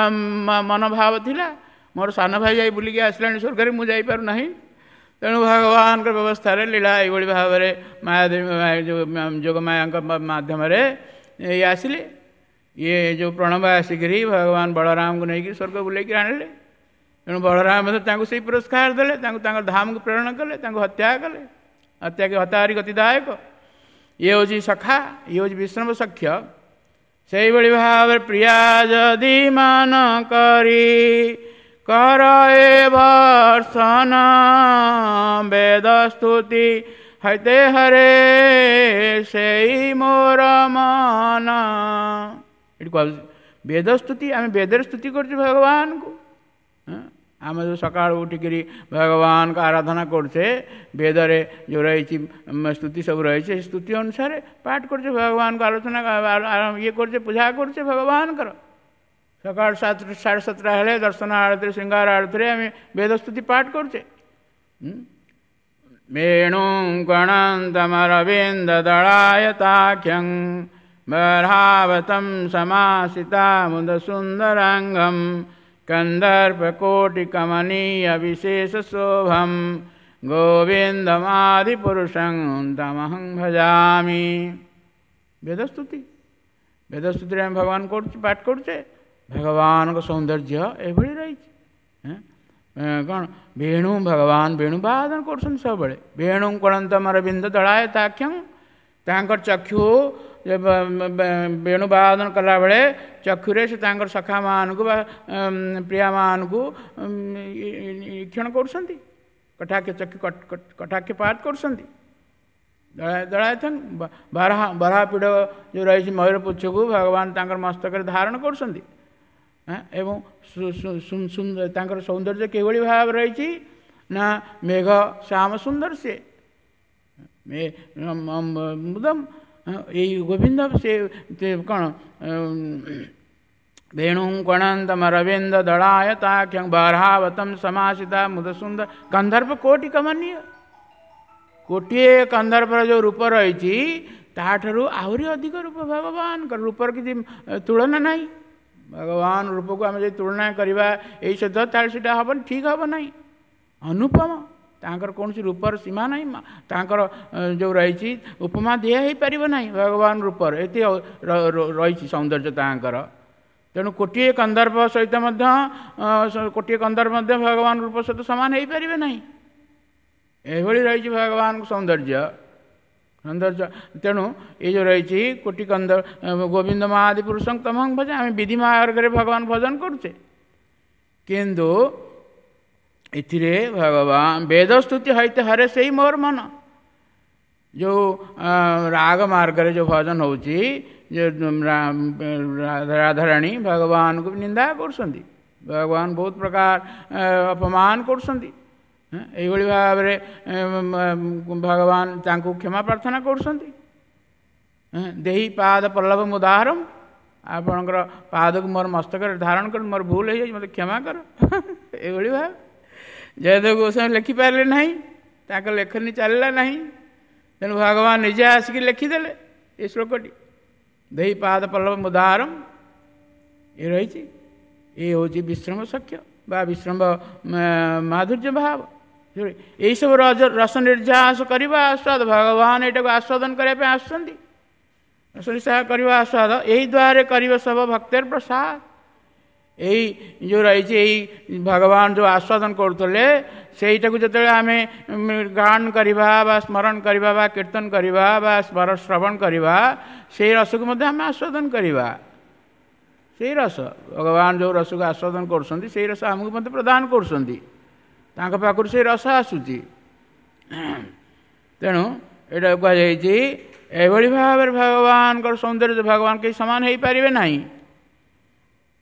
ମନୋଭାବ ଥିଲା, ମୋର ସାନ ଭାଇ ଯାଇ ବୁଲିକି ଆସିଲାଣି ସ୍ୱର୍ଗରେ, ମୁଁ ଯାଇପାରୁନାହିଁ। ତେଣୁ ଭଗବାନଙ୍କ ବ୍ୟବସ୍ଥାରେ ଲୀଳା ଏଇଭଳି ଭାବରେ ମାୟାଦେବୀ ଯେଉଁ ଯୋଗମାୟାଙ୍କ ମାଧ୍ୟମରେ ଇଏ ଆସିଲେ। ଇଏ ଯେଉଁ ପ୍ରଣବ ଆସିକରି ଭଗବାନ ବଳରାମଙ୍କୁ ନେଇକି ସ୍ୱର୍ଗ ବୁଲେଇକି ଆଣିଲେ। ତେଣୁ ବଳରାମ ମଧ୍ୟ ତାଙ୍କୁ ସେଇ ପୁରସ୍କାର ଦେଲେ, ତାଙ୍କୁ ତାଙ୍କ ଧାମକୁ ପ୍ରେରଣ କଲେ, ତାଙ୍କୁ ହତ୍ୟା କଲେ। ହତ୍ୟା ହତାହାରି ଗତିଦାୟକ। ଇଏ ହେଉଛି ସଖା, ଇଏ ହେଉଛି ବିଷ୍ଣବ ସଖ୍ୟ। ସେଇଭଳି ଭାବରେ ପ୍ରିୟା ଯଦି ମାନ କରି କର ଏ ଭର୍ସନ, ବେଦ ସ୍ତୁତି ହୈତେ ହରେ ସେଇ ମୋର ମନ। ଏଠି କୁହାଯାଉଛି ବେଦ ସ୍ତୁତି, ଆମେ ବେଦରେ ସ୍ତୁତି କରୁଛୁ ଭଗବାନଙ୍କୁ। ଆମେ ଯେଉଁ ସକାଳୁ ଉଠିକିରି ଭଗବାନଙ୍କ ଆରାଧନା କରୁଛେ, ବେଦରେ ଯେଉଁ ରହିଛି ସ୍ତୁତି ସବୁ ରହିଛି, ସେ ସ୍ତୁତି ଅନୁସାରେ ପାଠ କରୁଛେ, ଭଗବାନଙ୍କୁ ଆଲୋଚନା ଇଏ କରୁଛେ, ପୂଜା କରୁଛେ ଭଗବାନଙ୍କର। ସକାଳ 7 7:30 ହେଲେ ଦର୍ଶନ ଆଳତିରେ, ଶୃଙ୍ଗାର ଆଳତିରେ ଆମେ ବେଦ ସ୍ତୁତି ପାଠ କରୁଛେ। ବେଣୁ ଗଣନ୍ତମରବିନ୍ଦ ଦଳାୟତାକ୍ଷଂ ବରାବତಂ ସମାସିତା ମୁଦ ସୁନ୍ଦରାଙ୍ଗಂ କନ୍ଦର୍ପକୋଟିକମନୀୟ ବିଶେଷ ଶୋଭಂ ଗୋବିନ୍ଦମାଦିପୁରୁଷଂ ତମହଂ ଭଜାମି। ବେଦସ୍ତୁତି, ବେଦସ୍ତୁତିରେ ଆମେ ଭଗବାନ କରୁଛୁ, ପାଠ କରୁଛେ। ଭଗବାନଙ୍କ ସୌନ୍ଦର୍ଯ୍ୟ ଏଭଳି ରହିଛି। କ'ଣ ବେଣୁ, ଭଗବାନ ବେଣୁ ବାଦନ କରୁଛନ୍ତି ସବୁବେଳେ। ବେଣୁ କଣନ୍ତମରବିନ୍ଦ ଦଳାୟ ତାକ୍ଷଂ, ତାଙ୍କର ଚକ୍ଷୁ ବେଣୁ ବାଦନ କଲାବେଳେ ଚକ୍ଷୁରେ ସେ ତାଙ୍କର ସଖାମାନଙ୍କୁ ବା ପ୍ରିୟାମାନଙ୍କୁ ଈକ୍ଷଣ କରୁଛନ୍ତି, କଟାକ୍ଷ ଚକ୍ଷୁ କଟାକ୍ଷ ପାତ କରୁଛନ୍ତି। ଦଳାୟଥନ ବରାହ ପୀଢ଼ ଯେଉଁ ରହିଛି ମୟୂର ପୁଚ୍ଛକୁ ଭଗବାନ ତାଙ୍କର ମସ୍ତକରେ ଧାରଣ କରୁଛନ୍ତି। ଏବଂ ତାଙ୍କର ସୌନ୍ଦର୍ଯ୍ୟ କିଭଳି ଭାବରେ ରହିଛି ନା ମେଘ ଶ୍ୟାମ ସୁନ୍ଦର ସିଏ ମୁଦମ ଏଇ ଗୋବିନ୍ଦ ସେ କ'ଣ ବେଣୁ କଣନ୍ତମରବିନ୍ଦ ଦଳାୟତାକ୍ଷଂ ବାରାବତಂ ସମାସିତା ମୁଦ ସୁନ୍ଦର ଗନ୍ଧର୍ବ କୋଟି କମନୀୟ। ଗୋଟିଏ ଗନ୍ଧର୍ବର ଯେଉଁ ରୂପ ରହିଛି ତାଠାରୁ ଆହୁରି ଅଧିକ ରୂପ ଭଗବାନଙ୍କର। ରୂପର କିଛି ତୁଳନା ନାହିଁ। ଭଗବାନ ରୂପକୁ ଆମେ ଯଦି ତୁଳନା କରିବା ଏଇ ସହିତ, ତାହେଲେ ସେଇଟା ହେବନି, ଠିକ୍ ହେବ ନାହିଁ। ଅନୁପମ ତାଙ୍କର କୌଣସି ରୂପର ସୀମା ନାହିଁ। ତାଙ୍କର ଯେଉଁ ରହିଛି ଉପମା ଦିଆ ହେଇପାରିବ ନାହିଁ ଭଗବାନ ରୂପର, ଏତେ ରହିଛି ସୌନ୍ଦର୍ଯ୍ୟ ତାଙ୍କର। ତେଣୁ କୋଟିଏ କନ୍ଦର୍ପ ସହିତ ମଧ୍ୟ, କୋଟିଏ କନ୍ଦର୍ପ ମଧ୍ୟ ଭଗବାନ ରୂପ ସହିତ ସମାନ ହେଇପାରିବେ ନାହିଁ। ଏଭଳି ରହିଛି ଭଗବାନଙ୍କ ସୌନ୍ଦର୍ଯ୍ୟ ସୌନ୍ଦର୍ଯ୍ୟ। ତେଣୁ ଏଇ ଯେଉଁ ରହିଛି କୋଟି କନ୍ଦ ଗୋବିନ୍ଦ ମହାଦି ପୁରୁଷଙ୍କ ତମଂ ଭଜନ, ଆମେ ବିଧି ମାର୍ଗରେ ଭଗବାନ ଭଜନ କରୁଛେ, କିନ୍ତୁ ଏଥିରେ ଭଗବାନ ବେଦସ୍ତୁତି ହଇତେ ହରେ ସେଇ ମୋର ମନ। ଯେଉଁ ରାଗ ମାର୍ଗରେ ଯେଉଁ ଭଜନ ହେଉଛି, ରାଧାରାଣୀ ଭଗବାନଙ୍କୁ ନିନ୍ଦା କରୁଛନ୍ତି, ଭଗବାନ ବହୁତ ପ୍ରକାର ଅପମାନ କରୁଛନ୍ତି। ଏଇଭଳି ଭାବରେ ଭଗବାନ ତାଙ୍କୁ କ୍ଷମା ପ୍ରାର୍ଥନା କରୁଛନ୍ତି। ଦେହି ପାଦ ପଲ୍ଲବ ମୁଦାହରମ, ଆପଣଙ୍କର ପାଦକୁ ମୋର ମସ୍ତକରେ ଧାରଣ କରି ମୋର ଭୁଲ ହେଇଯାଇଛି, ମୋତେ କ୍ଷମା କର। ଏଇଭଳି ଭାବେ ଜୟଦେବ ଗୋସ୍ୱାମୀ ଲେଖିପାରିଲେ ନାହିଁ, ତାଙ୍କ ଲେଖନୀ ଚାଲିଲା ନାହିଁ, ତେଣୁ ଭଗବାନ ନିଜେ ଆସିକି ଲେଖିଦେଲେ ଏ ଶ୍ଲୋକଟି, ଦେହି ପାଦ ପଲ୍ଲବ ମୁଦାହରମ। ଏ ରହିଛି, ଏ ହେଉଛି ବିଶ୍ରମ ସଖ୍ୟ ବା ବିଶ୍ରମ ମାଧୁର୍ଯ୍ୟ ଭାବ। ଏଇସବୁ ରସ ନିର୍ଯାସ କରିବା ଆସ୍ୱାଦ, ଭଗବାନ ଏଇଟାକୁ ଆସ୍ୱାଦନ କରିବା ପାଇଁ ଆସୁଛନ୍ତି। ରସ ନିର୍ଯାସ କରିବା ଆସ୍ୱାଦ ଏଇ ଦ୍ୱାରେ କରିବ ସବ ଭକ୍ତର ପ୍ରସାଦ। ଏଇ ଯେଉଁ ରହିଛି ଏଇ ଭଗବାନ ଯେଉଁ ଆସ୍ୱାଦନ କରୁଥିଲେ, ସେଇଟାକୁ ଯେତେବେଳେ ଆମେ ଗାନ କରିବା ବା ସ୍ମରଣ କରିବା ବା କୀର୍ତ୍ତନ କରିବା ବା ଶ୍ରବଣ କରିବା, ସେଇ ରସକୁ ମଧ୍ୟ ଆମେ ଆସ୍ୱାଦନ କରିବା। ସେଇ ରସ ଭଗବାନ ଯେଉଁ ରସକୁ ଆସ୍ୱାଦନ କରୁଛନ୍ତି, ସେଇ ରସ ଆମକୁ ମଧ୍ୟ ପ୍ରଦାନ କରୁଛନ୍ତି, ତାଙ୍କ ପାଖରୁ ସେଇ ରସ ଆସୁଛି। ତେଣୁ ଏଇଟା କୁହାଯାଇଛି ଏଭଳି ଭାବରେ ଭଗବାନଙ୍କର ସୌନ୍ଦର୍ଯ୍ୟ, ଭଗବାନ କେହି ସମାନ ହେଇପାରିବେ ନାହିଁ।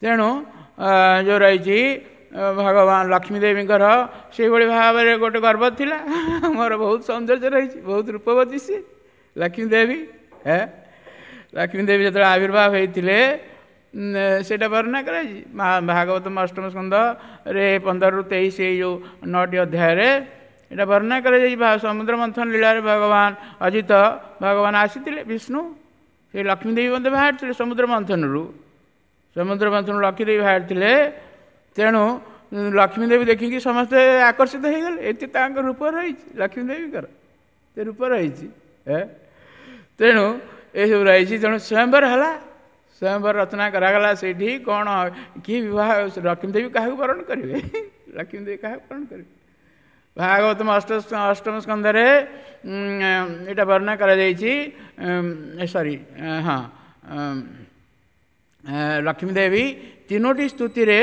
ତେଣୁ ଯେଉଁ ରହିଛି ଭଗବାନ ଲକ୍ଷ୍ମୀ ଦେବୀଙ୍କର ସେଇଭଳି ଭାବରେ ଗୋଟେ ଗର୍ବ ଥିଲା, ମୋର ବହୁତ ସୌନ୍ଦର୍ଯ୍ୟ ରହିଛି, ବହୁତ ରୂପବତୀ ସିଏ ଲକ୍ଷ୍ମୀ ଦେବୀ। ଲକ୍ଷ୍ମୀ ଦେବୀ ଯେତେବେଳେ ଆବିର୍ଭାବ ହେଇଥିଲେ ସେଇଟା ବର୍ଣ୍ଣନା କରାଯାଇଛି ଭାଗବତ ଅଷ୍ଟମ ସ୍କନ୍ଧରେ 15ରୁ 23 ଏଇ ଯେଉଁ 9ଟି ଅଧ୍ୟାୟରେ ଏଇଟା ବର୍ଣ୍ଣନା କରାଯାଇଛି। ସମୁଦ୍ର ମନ୍ଥନ ଲୀଳାରେ ଭଗବାନ ଅଜିତ ଭଗବାନ ଆସିଥିଲେ, ବିଷ୍ଣୁ, ସେ ଲକ୍ଷ୍ମୀ ଦେବୀ ମଧ୍ୟ ବାହାରିଥିଲେ ସମୁଦ୍ର ମନ୍ଥନରୁ, ସମୁଦ୍ର ମନ୍ଥନରୁ ଲକ୍ଷ୍ମୀ ଦେବୀ ବାହାରିଥିଲେ। ତେଣୁ ଲକ୍ଷ୍ମୀ ଦେବୀ ଦେଖିକି ସମସ୍ତେ ଆକର୍ଷିତ ହେଇଗଲେ, ଏତେ ତାଙ୍କ ରୂପ ରହିଛି ଲକ୍ଷ୍ମୀ ଦେବୀଙ୍କର, ସେ ରୂପ ରହିଛି। ତେଣୁ ଏସବୁ ରହିଛି। ତେଣୁ ସ୍ୱୟଂବର ହେଲା, ସ୍ୱୟଂବର ରଚନା କରାଗଲା। ସେଇଠି କ'ଣ କିଏ ବିବାହ, ଲକ୍ଷ୍ମୀ ଦେବୀ କାହାକୁ ବରଣ କରିବେ, ଲକ୍ଷ୍ମୀ ଦେବୀ କାହାକୁ ବରଣ କରିବେ? ଭାଗବତ ଅଷ୍ଟମ ସ୍କନ୍ଧରେ ଏଇଟା ବର୍ଣ୍ଣନା କରାଯାଇଛି। ସରି, ହଁ, ଲକ୍ଷ୍ମୀ ଦେବୀ 3ଟି ସ୍ତୁତିରେ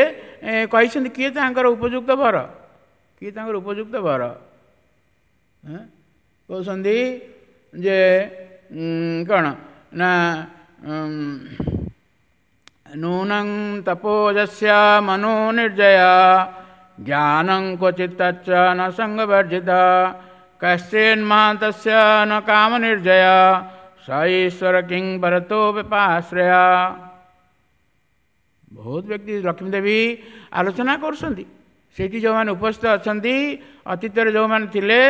କହିଛନ୍ତି କିଏ ତାଙ୍କର ଉପଯୁକ୍ତ ବର, କିଏ ତାଙ୍କର ଉପଯୁକ୍ତ ବର। କହୁଛନ୍ତି ଯେ କ'ଣ ନା ନୂନଂ ତପୋଜସ୍ୟ ମନୋ ନିର୍ଜୟ ଜ୍ଞାନଂ କ୍ୱଚିତ୍ ନ ସଙ୍ଗବର୍ଜିତ କଶ୍ଚିନ୍ମହାନ୍ତସ୍ୟ ନ କାମ ନିର୍ଜୟ ସ ଈଶ୍ୱର କିଂ ଭରତୋ ବିପାଶ୍ରୟ। ବହୁତ ବ୍ୟକ୍ତି ଲକ୍ଷ୍ମୀ ଦେବୀ ଆଲୋଚନା କରୁଛନ୍ତି। ସେଇଠି ଯେଉଁମାନେ ଉପସ୍ଥିତ ଅଛନ୍ତି, ଅତୀତରେ ଯେଉଁମାନେ ଥିଲେ,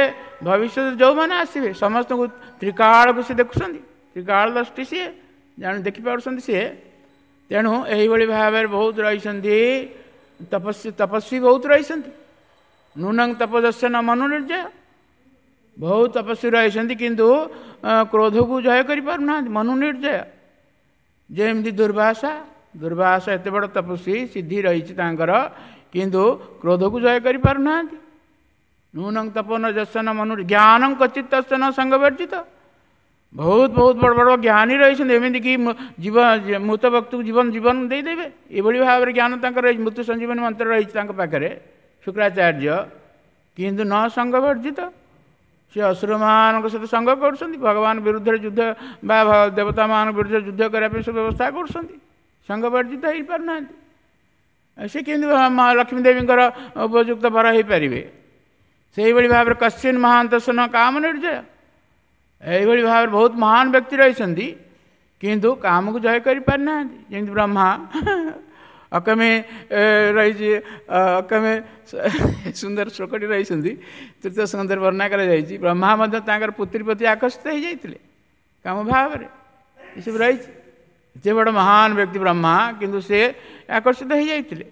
ଭବିଷ୍ୟତରେ ଯେଉଁମାନେ ଆସିବେ, ସମସ୍ତଙ୍କୁ ତ୍ରିକାଳକୁ ସେ ଦେଖୁଛନ୍ତି, ତ୍ରିକାଳ ଦୃଷ୍ଟି ସିଏ ଜାଣି ଦେଖିପାରୁଛନ୍ତି ସିଏ। ତେଣୁ ଏହିଭଳି ଭାବରେ ବହୁତ ରହିଛନ୍ତି ତପସ୍ୱୀ, ତପସ୍ୱୀ ବହୁତ ରହିଛନ୍ତି। ନୂନଂ ତପସ୍ୟ ନ ମନୁ ନିର୍ଜୟ, ବହୁତ ତପସ୍ୱୀ ରହିଛନ୍ତି କିନ୍ତୁ କ୍ରୋଧକୁ ଜୟ କରିପାରୁନାହାନ୍ତି, ମନୁ ନିର୍ଜୟ। ଯେମିତି ଦୁର୍ବାସା, ଦୁର୍ବାସା ଏତେ ବଡ଼ ତପସ୍ୱୀ, ସିଦ୍ଧି ରହିଛି ତାଙ୍କର, କିନ୍ତୁ କ୍ରୋଧକୁ ଜୟ କରିପାରୁନାହାନ୍ତି। ନୂନଂ ତପନ ଯଶନ ମନୁ ଜ୍ଞାନଂ କ୍ୱଚିତ୍ ତସ୍ୟ ନ ସଙ୍ଗବର୍ଜିତ। ବହୁତ ବହୁତ ବଡ଼ ବଡ଼ ଜ୍ଞାନୀ ରହିଛନ୍ତି, ଏମିତିକି ଜୀବ ମୃତ ବ୍ୟକ୍ତିକୁ ଜୀବନ ଜୀବନ ଦେଇଦେବେ, ଏଭଳି ଭାବରେ ଜ୍ଞାନ ତାଙ୍କର ରହିଛି। ମୃତ୍ୟୁ ସଞ୍ଜୀବନୀ ମନ୍ତ୍ର ରହିଛି ତାଙ୍କ ପାଖରେ ଶୁକ୍ରାଚାର୍ଯ୍ୟ, କିନ୍ତୁ ନ ସଙ୍ଗବର୍ଜିତ। ସେ ଅସୁରମାନଙ୍କ ସହିତ ସଙ୍ଗ କରୁଛନ୍ତି, ଭଗବାନ ବିରୁଦ୍ଧରେ ଯୁଦ୍ଧ ବା ଦେବତାମାନଙ୍କ ବିରୁଦ୍ଧରେ ଯୁଦ୍ଧ କରିବା ପାଇଁ ସବୁ ବ୍ୟବସ୍ଥା କରୁଛନ୍ତି, ସଙ୍ଗବର୍ଜିତ ହେଇପାରୁନାହାନ୍ତି। ସେ କେମିତି ଲକ୍ଷ୍ମୀ ଦେବୀଙ୍କର ଉପଯୁକ୍ତ ବର ହେଇପାରିବେ? ସେଇଭଳି ଭାବରେ କଶ୍ଚିନ୍ ମହାନ୍ତସ ନ କାମ ନିର୍ଜୟ, ଏଇଭଳି ଭାବରେ ବହୁତ ମହାନ ବ୍ୟକ୍ତି ରହିଛନ୍ତି କିନ୍ତୁ କାମକୁ ଜୟ କରିପାରିନାହାନ୍ତି। ଯେମିତି ବ୍ରହ୍ମା ଅକମେ ରହିଛି, ଅକମେ ସୁନ୍ଦର ଶ୍ଲୋକଟି ରହିଛନ୍ତି, ତୃତୀୟ ସ୍କନ୍ଧରେ ବର୍ଣ୍ଣନା କରାଯାଇଛି। ବ୍ରହ୍ମା ମଧ୍ୟ ତାଙ୍କର ପୁତ୍ରୀ ପ୍ରତି ଆକର୍ଷିତ ହେଇଯାଇଥିଲେ କାମ ଭାବରେ, ଏସବୁ ରହିଛି। ଏତେ ବଡ଼ ମହାନ ବ୍ୟକ୍ତି ବ୍ରହ୍ମା, କିନ୍ତୁ ସେ ଆକର୍ଷିତ ହେଇଯାଇଥିଲେ।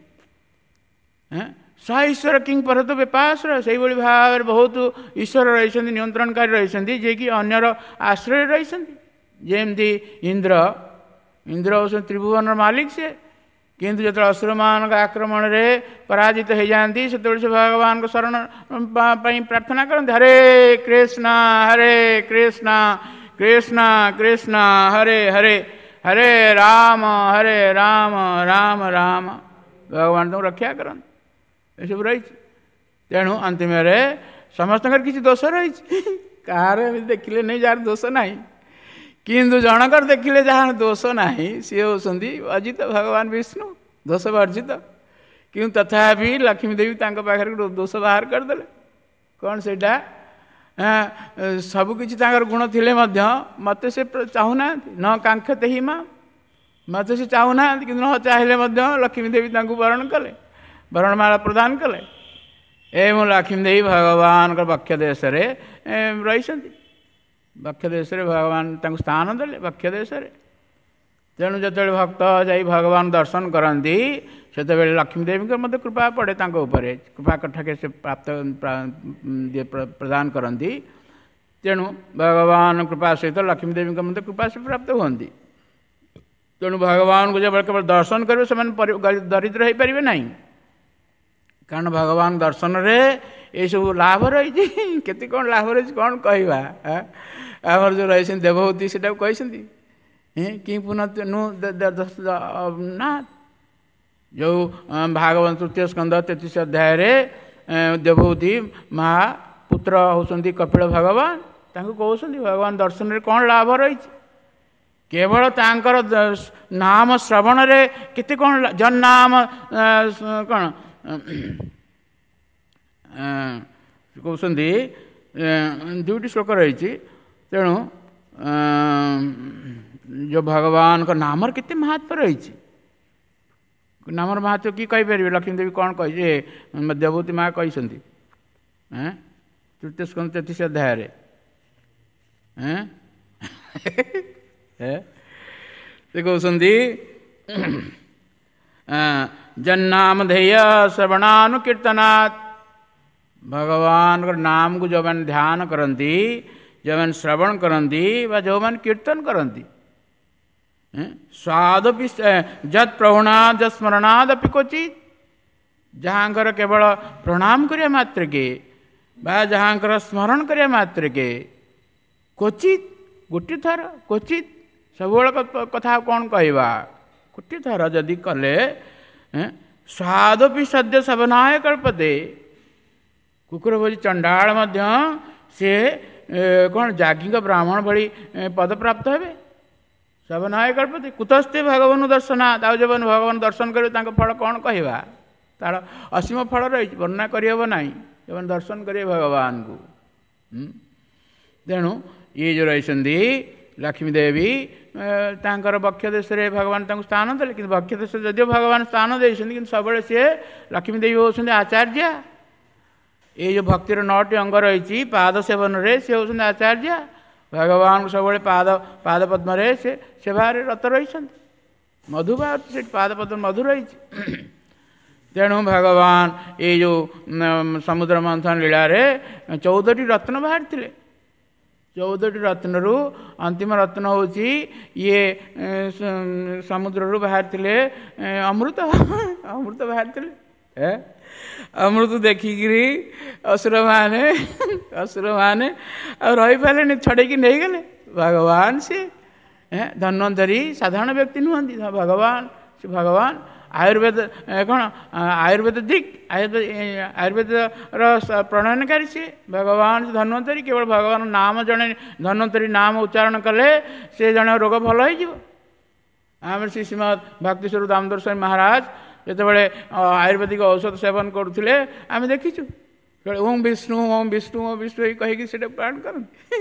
ସ ଈଶ୍ୱର କିଙ୍ଗ ପରତ ବେପାଶ୍ରୟ, ସେଇଭଳି ଭାବରେ ବହୁତ ଈଶ୍ୱର ରହିଛନ୍ତି, ନିୟନ୍ତ୍ରଣକାରୀ ରହିଛନ୍ତି, ଯିଏକି ଅନ୍ୟର ଆଶ୍ରୟରେ ରହିଛନ୍ତି। ଯେମିତି ଇନ୍ଦ୍ର, ଇନ୍ଦ୍ର ହେଉଛନ୍ତି ତ୍ରିଭୁବନର ମାଲିକ ସେ, କିନ୍ତୁ ଯେତେବେଳେ ଅସୁରମାନଙ୍କ ଆକ୍ରମଣରେ ପରାଜିତ ହେଇଯାଆନ୍ତି, ସେତେବେଳେ ସେ ଭଗବାନଙ୍କ ଶରଣ ପାଇଁ ପ୍ରାର୍ଥନା କରନ୍ତି, ହରେ କୃଷ୍ଣ ହରେ କୃଷ୍ଣ କୃଷ୍ଣ କୃଷ୍ଣ ହରେ ହରେ, ହରେ ରାମ ହରେ ରାମ ରାମ ରାମ। ଭଗବାନ ତାଙ୍କୁ ରକ୍ଷା କରନ୍ତି। ଏସବୁ ରହିଛି। ତେଣୁ ଅନ୍ତିମରେ ସମସ୍ତଙ୍କର କିଛି ଦୋଷ ରହିଛି, କାହାର ଏମିତି ଦେଖିଲେ ନାହିଁ ଯାହାର ଦୋଷ ନାହିଁ, କିନ୍ତୁ ଜଣଙ୍କର ଦେଖିଲେ ଯାହାର ଦୋଷ ନାହିଁ, ସିଏ ହେଉଛନ୍ତି ଅଜିତ ଭଗବାନ ବିଷ୍ଣୁ, ଦୋଷ ବର୍ଜିତ। କିନ୍ତୁ ତଥାପି ଲକ୍ଷ୍ମୀ ଦେବୀ ତାଙ୍କ ପାଖରେ ଗୋଟେ ଦୋଷ ବାହାର କରିଦେଲେ। କ'ଣ ସେଇଟା? ସବୁକିଛି ତାଙ୍କର ଗୁଣ ଥିଲେ ମଧ୍ୟ ମୋତେ ସେ ଚାହୁଁନାହାନ୍ତି। ନ କାଙ୍କ୍ଷତେ ହି ମା, ମୋତେ ସେ ଚାହୁଁନାହାନ୍ତି, କିନ୍ତୁ ନ ଚାହିଁଲେ ମଧ୍ୟ ଲକ୍ଷ୍ମୀ ଦେବୀ ତାଙ୍କୁ ବରଣ କଲେ, ବରଣମାଳା ପ୍ରଦାନ କଲେ। ଏବଂ ଲକ୍ଷ୍ମୀ ଦେବୀ ଭଗବାନଙ୍କ ବକ୍ଷ ଦେଶରେ ରହିଛନ୍ତି। ବକ୍ଷ ଦେଶରେ ଭଗବାନ ତାଙ୍କୁ ସ୍ଥାନ ଦେଲେ ବକ୍ଷ ଦେଶରେ। ତେଣୁ ଯେତେବେଳେ ଭକ୍ତ ଯାଇ ଭଗବାନ ଦର୍ଶନ କରନ୍ତି, ସେତେବେଳେ ଲକ୍ଷ୍ମୀ ଦେବୀଙ୍କର ମଧ୍ୟ କୃପା ପଡ଼େ ତାଙ୍କ ଉପରେ, କୃପା କଠାକେ ସେ ପ୍ରାପ୍ତ ପ୍ରଦାନ କରନ୍ତି। ତେଣୁ ଭଗବାନ କୃପା ସହିତ ଲକ୍ଷ୍ମୀ ଦେବୀଙ୍କ ମଧ୍ୟ କୃପା ସେ ପ୍ରାପ୍ତ ହୁଅନ୍ତି। ତେଣୁ ଭଗବାନଙ୍କୁ ଯେତେବେଳେ କେବଳ ଦର୍ଶନ କରିବେ, ସେମାନେ ଦରିଦ୍ର ହେଇପାରିବେ ନାହିଁ, କାରଣ ଭଗବାନ ଦର୍ଶନରେ ଏସବୁ ଲାଭ ରହିଛି। କେତେ କ'ଣ ଲାଭ ରହିଛି କ'ଣ କହିବା। ଆମର ଯେଉଁ ରହିଛନ୍ତି ଦେବହୂତି, ସେଟାକୁ କହିଛନ୍ତି କି ପୁନଃ ନା, ଯେଉଁ ଭାଗବତ ତୃତୀୟ ସ୍କନ୍ଧ 33 ଅଧ୍ୟାୟରେ ଦେବହୂତି ମା ପୁତ୍ର ହେଉଛନ୍ତି କପିଳ ଭଗବାନ, ତାଙ୍କୁ କହୁଛନ୍ତି ଭଗବାନ ଦର୍ଶନରେ କ'ଣ ଲାଭ ରହିଛି। କେବଳ ତାଙ୍କର ନାମ ଶ୍ରବଣରେ କେତେ କ'ଣ ଜନ୍ନାମ କ'ଣ କହୁଛନ୍ତି, ଦୁଇଟି ଶ୍ଲୋକ ରହିଛି। ତେଣୁ ଯେଉଁ ଭଗବାନଙ୍କ ନାମର କେତେ ମହାତ୍ମ୍ୟ ରହିଛି, ନାମର ମହାତ୍ମ୍ୟ କି କହିପାରିବେ? ଲକ୍ଷ୍ମୀ ଦେବୀ କ'ଣ କହିছে, ଦେବତୀ ମା କହିଛନ୍ତି ତୃତୀୟ ସ୍କନ୍ଧ 33 ଅଧ୍ୟାୟରେ। ସେ କହୁଛନ୍ତି ଜନ୍ନାମ ଧେୟ ଶ୍ରବଣାନୁକୀର୍ତ୍ତନାत्, ଭଗବାନଙ୍କର ନାମକୁ ଯେଉଁମାନେ ଧ୍ୟାନ କରନ୍ତି, ଯେଉଁମାନେ ଶ୍ରବଣ କରନ୍ତି ବା ଯେଉଁମାନେ କୀର୍ତ୍ତନ କରନ୍ତି, ସ୍ୱାଦପି ଯତ୍ ପ୍ରଭୁଣାଦ ସ୍ମରଣାଦପି କ୍ୱଚିତ୍, ଯାହାଙ୍କର କେବଳ ପ୍ରଣାମ କରିବା ମାତ୍ରକେ ବା ଯାହାଙ୍କର ସ୍ମରଣ କରିବା ମାତ୍ରକେ କ୍ୱଚିତ୍, ଗୋଟିଏ ଥର କ୍ୱଚିତ୍, ସବୁବେଳେ କଥା କ'ଣ କହିବା, ଗୋଟିଏ ଥର ଯଦି କଲେ ସ୍ୱାଦପି ସଦ୍ୟ ସବନାୟ କଳ୍ପତେ, କୁକୁର ଭୋଜି ଚଣ୍ଡାଳ ମଧ୍ୟ ସେ କ'ଣ ଯାଜ୍ଞିକ ବ୍ରାହ୍ମଣ ଭଳି ପଦପ୍ରାପ୍ତ ହେବେ। ସବନାୟ କଳ୍ପତେ କୁତସ୍ତେ ଭଗବାନ ଦର୍ଶନାତ୍, ଆଉ ଯେଉଁମାନେ ଭଗବାନ ଦର୍ଶନ କରିବେ ତାଙ୍କ ଫଳ କ'ଣ କହିବା, ତାର ଅସୀମ ଫଳ ରହିଛି, ବର୍ଣ୍ଣନା କରିହେବ ନାହିଁ, ଯେଉଁମାନେ ଦର୍ଶନ କରିବେ ଭଗବାନଙ୍କୁ। ତେଣୁ ଇଏ ଯେଉଁ ରହିଛନ୍ତି ଲକ୍ଷ୍ମୀ ଦେବୀ, ତାଙ୍କର ବକ୍ଷ ଦେଶରେ ଭଗବାନ ତାଙ୍କୁ ସ୍ଥାନ ଦେଲେ। କିନ୍ତୁ ବକ୍ଷ ଦେଶରେ ଯଦିଓ ଭଗବାନ ସ୍ଥାନ ଦେଇଛନ୍ତି, କିନ୍ତୁ ସବୁବେଳେ ସିଏ ଲକ୍ଷ୍ମୀ ଦେବୀ ହେଉଛନ୍ତି ଆଚାର୍ଯ୍ୟ। ଏଇ ଯେଉଁ ଭକ୍ତିର 9ଟି ଅଙ୍ଗ ରହିଛି, ପାଦ ସେବନରେ ସେ ହେଉଛନ୍ତି ଆଚାର୍ଯ୍ୟ। ଭଗବାନଙ୍କୁ ସବୁବେଳେ ପାଦ ପଦ୍ମରେ ସେ ସେବାରେ ରତ ରହିଛନ୍ତି। ମଧୁ ବାହାରୁଛି ସେଠି, ପାଦ ପଦ୍ମ ମଧୁ ରହିଛି। ତେଣୁ ଭଗବାନ ଏଇ ଯେଉଁ ସମୁଦ୍ର ମନ୍ଥନ ଲୀଳାରେ 14ଟି ରତ୍ନ ବାହାରିଥିଲେ। 14ଟି ରତ୍ନରୁ ଅନ୍ତିମ ରତ୍ନ ହେଉଛି ଇଏ ସମୁଦ୍ରରୁ ବାହାରିଥିଲେ ଅମୃତ, ଅମୃତ ବାହାରିଥିଲେ। ଅମୃତ ଦେଖିକିରି ଅସୁରମାନେ ଆଉ ରହିପାରିଲେନି, ଛଡ଼େଇକି ନେଇଗଲେ। ଭଗବାନ ସିଏ ଧନ୍ୱନ୍ତରୀ ସାଧାରଣ ବ୍ୟକ୍ତି ନୁହନ୍ତି, ଭଗବାନ ସେ ଭଗବାନ। ଆୟୁର୍ବେଦ କ'ଣ ଆୟୁର୍ବେଦ ଦିକ୍, ଆୟୁର୍ବେଦର ପ୍ରଣୟନକାରୀ ସିଏ ଭଗବାନ ଧନ୍ୱନ୍ତରୀ। କେବଳ ଭଗବାନ ନାମ, ଜଣେ ଧନ୍ୱନ୍ତରୀ ନାମ ଉଚ୍ଚାରଣ କଲେ ସେ ଜଣେ ରୋଗ ଭଲ ହେଇଯିବ। ଆମର ଶ୍ରୀ ଶ୍ରୀମଦ୍ ଭକ୍ତି ସ୍ୱରୂପ ଦାମୋଦର ସ୍ୱାମୀ ମହାରାଜ ଯେତେବେଳେ ଆୟୁର୍ବେଦିକ ଔଷଧ ସେବନ କରୁଥିଲେ, ଆମେ ଦେଖିଛୁ ଓಂ ବିଷ୍ଣୁ ଓಂ ବିଷ୍ଣୁ ଓಂ ବିଷ୍ଣୁ ଏଇ କହିକି ସେଇଟା ପ୍ରାଣ କରନ୍ତି।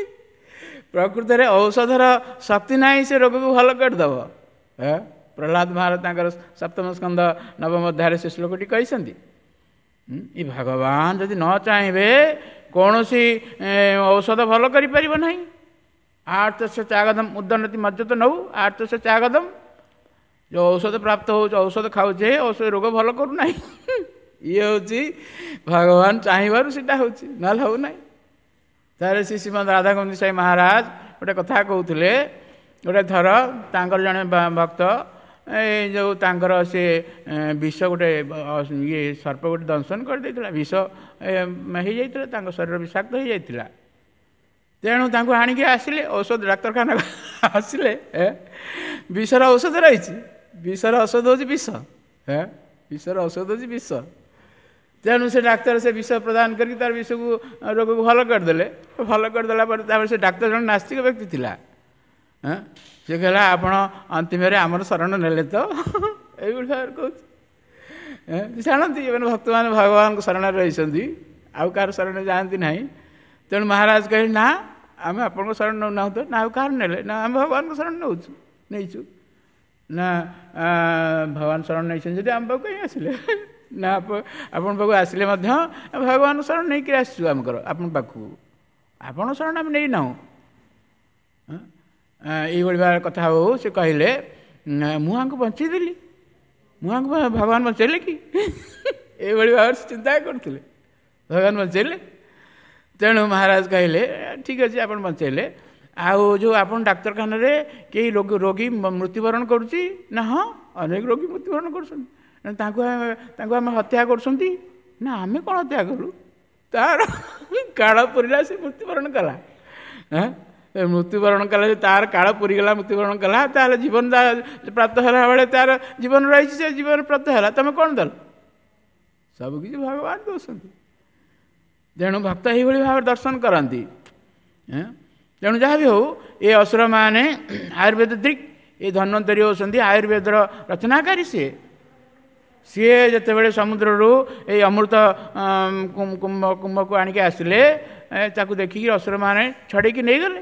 ପ୍ରକୃତରେ ଔଷଧର ଶକ୍ତି ନାହିଁ ସେ ରୋଗକୁ ଭଲ କରିଦେବ। ପ୍ରହ୍ଲାଦ ମହାରାଜ ତାଙ୍କର ସପ୍ତମ ସ୍କନ୍ଧ ନବମ ଅଧ୍ୟାୟରେ ସେ ଶ୍ଲୋକଟି କହିଛନ୍ତି। ଏ ଭଗବାନ ଯଦି ନ ଚାହିଁବେ କୌଣସି ଔଷଧ ଭଲ କରିପାରିବ ନାହିଁ। ଆର୍ତସ୍ୟ ଚାଗଦମ ଉଦନତି ମଜ୍ଜତ ନଉ ଆର୍ତସ୍ୟ ଚାଗଦମ, ଯେଉଁ ଔଷଧ ପ୍ରାପ୍ତ ହେଉଛି, ଔଷଧ ଖାଉଛେ, ଔଷଧ ରୋଗ ଭଲ କରୁନାହିଁ। ଇଏ ହେଉଛି ଭଗବାନ ଚାହିଁବାରୁ ସେଇଟା ହେଉଛି, ନହେଲେ ହେଉନାହିଁ। ତାହେଲେ ଶ୍ରୀ ଶ୍ରୀମଦ ରାଧାଗୋବିନ୍ଦ ସ୍ୱାମୀ ମହାରାଜ ଗୋଟେ କଥା କହୁଥିଲେ। ଗୋଟେ ଥର ତାଙ୍କର ଜଣେ ଭକ୍ତ ଏ ଯେଉଁ ତାଙ୍କର ସେ ବିଷ ଗୋଟେ ଇଏ ସର୍ପ ଗୋଟେ ଦଂଶନ କରିଦେଇଥିଲା, ବିଷ ହେଇଯାଇଥିଲା, ତାଙ୍କ ଶରୀର ବିଷାକ୍ତ ହେଇଯାଇଥିଲା। ତେଣୁ ତାଙ୍କୁ ଆଣିକି ଆସିଲେ ଔଷଧ ଡାକ୍ତରଖାନା ଆସିଲେ, ବିଷର ଔଷଧ ରହିଛି, ବିଷର ଔଷଧ ହେଉଛି ବିଷ, ବିଷର ଔଷଧ ହେଉଛି ବିଷ। ତେଣୁ ସେ ଡାକ୍ତର ସେ ବିଷ ପ୍ରଦାନ କରିକି ତାର ବିଷକୁ ରୋଗକୁ ଭଲ କରିଦେଲେ। ଭଲ କରିଦେଲା ପରେ ତାପରେ ସେ ଡାକ୍ତର ଜଣେ ନାସ୍ତିକ ବ୍ୟକ୍ତି ଥିଲା, ସେ କହିଲା ଆପଣ ଅନ୍ତିମରେ ଆମର ଶରଣ ନେଲେ ତ, ଏଇଭଳି ଭାବରେ କହୁଛି। ଜାଣନ୍ତି ଏମାନେ ଭକ୍ତମାନେ ଭଗବାନଙ୍କ ଶରଣରେ ରହିଛନ୍ତି, ଆଉ କାହାର ଶରଣ ଯାଆନ୍ତି ନାହିଁ। ତେଣୁ ମହାରାଜ କହିଲେ ନା ଆମେ ଆପଣଙ୍କ ଶରଣ ନେଉନାହୁଁ ତ, ନା ଆଉ କାହାର ନେଲେ, ନା ଆମେ ଭଗବାନଙ୍କ ଶରଣ ନେଉଛୁ ନେଇଛୁ। ନା ଭଗବାନ ଶରଣ ନେଇଛନ୍ତି ଯଦି ଆମ ପାଖକୁ କାହିଁ ଆସିଲେ? ନା ଆପଣଙ୍କ ପାଖକୁ ଆସିଲେ ମଧ୍ୟ ଭଗବାନଙ୍କ ଶରଣ ନେଇକରି ଆସିଛୁ ଆମଙ୍କର ଆପଣଙ୍କ ପାଖକୁ, ଆପଣଙ୍କ ଶରଣ ଆମେ ନେଇନାହୁଁ। ଏଇଭଳି ଭାବରେ କଥା ହଉ ସେ କହିଲେ ମୁଁ ଆଙ୍କୁ ବଞ୍ଚେଇଦେଲି, ମୁଁ ଆଙ୍କୁ ଭଗବାନ ବଞ୍ଚେଇଲେ କି? ଏଇଭଳି ଭାବରେ ସେ ଚିନ୍ତା କରୁଥିଲେ, ଭଗବାନ ବଞ୍ଚେଇଲେ। ତେଣୁ ମହାରାଜ କହିଲେ ଠିକ୍ ଅଛି ଆପଣ ବଞ୍ଚେଇଲେ, ଆଉ ଯେଉଁ ଆପଣ ଡାକ୍ତରଖାନାରେ କେହି ରୋଗୀ ମୃତ୍ୟୁବରଣ କରୁଛି? ନା ହଁ ଅନେକ ରୋଗୀ ମୃତ୍ୟୁବରଣ କରୁଛନ୍ତି। ତାଙ୍କୁ ଆମେ ହତ୍ୟା କରୁଛନ୍ତି? ନା ଆମେ କ'ଣ ହତ୍ୟା କରୁ, ତାର କାଳ ପୁରିଲା ସେ ମୃତ୍ୟୁବରଣ କଲା। ମୃତ୍ୟୁବରଣ କଲା ଯେ ତାର କାଳ ପୁରିଗଲା, ମୃତ୍ୟୁବରଣ କଲା, ତାହେଲେ ଜୀବନ ପ୍ରାପ୍ତ ହେଲା ବେଳେ ତାର ଜୀବନ ରହିଛି, ସେ ଜୀବନ ପ୍ରାପ୍ତ ହେଲା, ତମେ କ'ଣ ଦେଲ? ସବୁକିଛି ଭଗବାନ ଦେଉଛନ୍ତି। ତେଣୁ ଭକ୍ତ ଏଇଭଳି ଭାବରେ ଦର୍ଶନ କରନ୍ତି। ତେଣୁ ଯାହା ବି ହେଉ ଏ ଅସୁରମାନେ ଆୟୁର୍ବେଦ ଦିକ୍, ଏ ଧନ୍ୱନ୍ତରୀ ହେଉଛନ୍ତି ଆୟୁର୍ବେଦର ରଚନାକାରୀ। ସିଏ ଯେତେବେଳେ ସମୁଦ୍ରରୁ ଏଇ ଅମୃତ କୁମ୍ଭକୁ ଆଣିକି ଆସିଲେ, ତାକୁ ଦେଖିକି ଅସୁରମାନେ ଛଡ଼େଇକି ନେଇଗଲେ।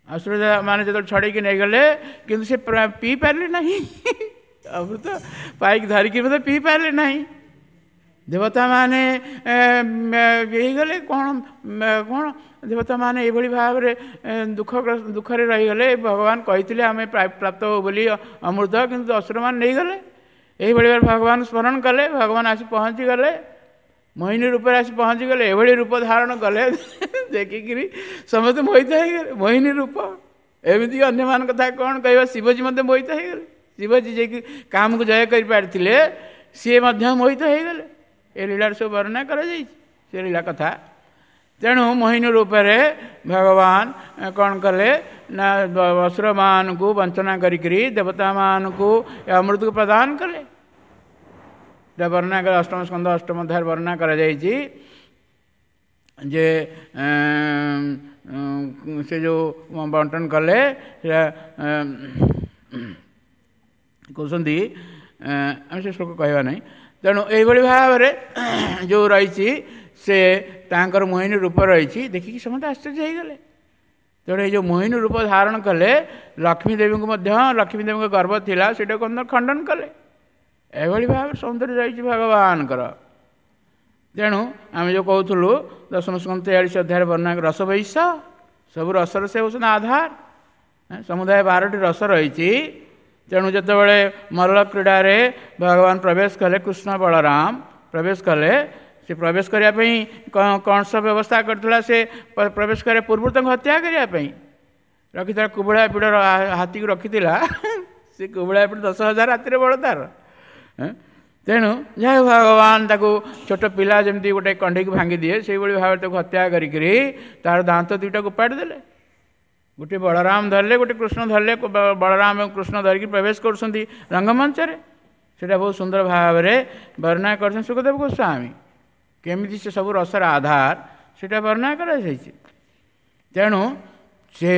ଅସୁରମାନେ ଯେତେବେଳେ ଛଡ଼େଇକି ନେଇଗଲେ, କିନ୍ତୁ ସେ ପିଇ ପାରିଲେ ନାହିଁ, ଅମୃତ ପାଇକି ଧରିକି ମଧ୍ୟ ପିଇ ପାରିଲେ ନାହିଁ। ଦେବତାମାନେ ହେଇଗଲେ କ'ଣ କ'ଣ ଦେବତାମାନେ ଏଇଭଳି ଭାବରେ ଦୁଃଖରେ ରହିଗଲେ। ଭଗବାନ କହିଥିଲେ ଆମେ ପ୍ରାପ୍ତ ହଉ ବୋଲି ଅମୃତ, କିନ୍ତୁ ଅସୁରମାନେ ନେଇଗଲେ। ଏଇଭଳି ଭାବରେ ଭଗବାନ ସ୍ମରଣ କଲେ, ଭଗବାନ ଆସି ପହଞ୍ଚିଗଲେ, ମୋହିନୀ ରୂପରେ ଆସି ପହଞ୍ଚିଗଲେ। ଏଭଳି ରୂପ ଧାରଣ କଲେ ଦେଖିକିରି ସମସ୍ତେ ମୋହିତ ହେଇଗଲେ। ମୋହିନୀ ରୂପ ଏମିତି ଅନ୍ୟମାନଙ୍କ କଥା କ'ଣ କହିବା, ଶିବଜୀ ମଧ୍ୟ ମୋହିତ ହେଇଗଲେ। ଶିବଜୀ ଯାଇକି କାମକୁ ଜୟ କରିପାରିଥିଲେ, ସିଏ ମଧ୍ୟ ମୋହିତ ହେଇଗଲେ। ଏ ଲୀଳାରେ ସବୁ ବର୍ଣ୍ଣନା କରାଯାଇଛି ସେ ଲୀଳା କଥା। ତେଣୁ ମୋହିନୀ ରୂପରେ ଭଗବାନ କ'ଣ କଲେ ନା ଅସୁରମାନଙ୍କୁ ବଞ୍ଚନା କରିକିରି ଦେବତାମାନଙ୍କୁ ଏ ଅମୃତକୁ ପ୍ରଦାନ କଲେ। ବର୍ଣ୍ଣନା କଲେ ଅଷ୍ଟମ ସ୍କନ୍ଧ ଅଷ୍ଟମ ଅଧ୍ୟାୟରେ ବର୍ଣ୍ଣନା କରାଯାଇଛି ଯେ ସେ ଯେଉଁ ବଣ୍ଟନ କଲେ ସେଟା କହୁଛନ୍ତି, ଆମେ ସେ ଶ୍ଲୋକ କହିବା ନାହିଁ। ତେଣୁ ଏଇଭଳି ଭାବରେ ଯେଉଁ ରହିଛି ସେ ତାଙ୍କର ମୋହିନୀ ରୂପ ରହିଛି, ଦେଖିକି ସମସ୍ତେ ଆଶ୍ଚର୍ଯ୍ୟ ହେଇଗଲେ। ତେଣୁ ଏଇ ଯେଉଁ ମୋହିନୀ ରୂପ ଧାରଣ କଲେ, ଲକ୍ଷ୍ମୀ ଦେବୀଙ୍କୁ ମଧ୍ୟ, ଲକ୍ଷ୍ମୀ ଦେବୀଙ୍କ ଗର୍ବ ଥିଲା, ସେଇଟାକୁ ଖଣ୍ଡନ କଲେ। ଏଭଳି ଭାବରେ ସୌନ୍ଦର୍ଯ୍ୟ ରହିଛି ଭଗବାନଙ୍କର। ତେଣୁ ଆମେ ଯେଉଁ କହୁଥିଲୁ ଦଶମ ସ୍କନ୍ଧ 43 ଅଧ୍ୟାୟରେ ବର୍ଣ୍ଣନା ରସ ବୈଶ, ସବୁ ରସର ସେ ହେଉଛନ୍ତି ଆଧାର। ସମୁଦାୟ 12ଟି ରସ ରହିଛି। ତେଣୁ ଯେତେବେଳେ ମଲ୍ଲ କ୍ରୀଡ଼ାରେ ଭଗବାନ ପ୍ରବେଶ କଲେ, କୃଷ୍ଣ ବଳରାମ ପ୍ରବେଶ କଲେ, ସେ ପ୍ରବେଶ କରିବା ପାଇଁ କଂସ ବ୍ୟବସ୍ଥା କରିଥିଲା। ସେ ପ୍ରବେଶ କରିବା ପୂର୍ବରୁ ତାଙ୍କୁ ହତ୍ୟା କରିବା ପାଇଁ ରଖିଥିଲା, କୁବଳା ପିଢ଼ର ହାତୀକୁ ରଖିଥିଲା। ସେ କୁବଳା ପିଢ଼ 10,000 ହାତୀରେ ବଳ ତାର। ତେଣୁ ଯାହା ଭଗବାନ ତାକୁ ଛୋଟ ପିଲା ଯେମିତି ଗୋଟେ କଣ୍ଢେଇକୁ ଭାଙ୍ଗିଦିଏ, ସେଇଭଳି ଭାବରେ ତାକୁ ହତ୍ୟା କରିକିରି ତାର ଦାନ୍ତ ଦୁଇଟାକୁ ଉପାଡ଼ି ଦେଲେ। ଗୋଟେ ବଳରାମ ଧରିଲେ, ଗୋଟେ କୃଷ୍ଣ ଧରିଲେ। ବଳରାମ ଏବଂ କୃଷ୍ଣ ଧରିକି ପ୍ରବେଶ କରୁଛନ୍ତି ରଙ୍ଗମଞ୍ଚରେ। ସେଇଟା ବହୁତ ସୁନ୍ଦର ଭାବରେ ବର୍ଣ୍ଣନା କରିଛନ୍ତି ଶୁକଦେବ ଗୋସ୍ୱାମୀ, କେମିତି ସେ ସବୁ ରସର ଆଧାର ସେଇଟା ବର୍ଣ୍ଣନା କରାଯାଇଛି। ତେଣୁ ସେ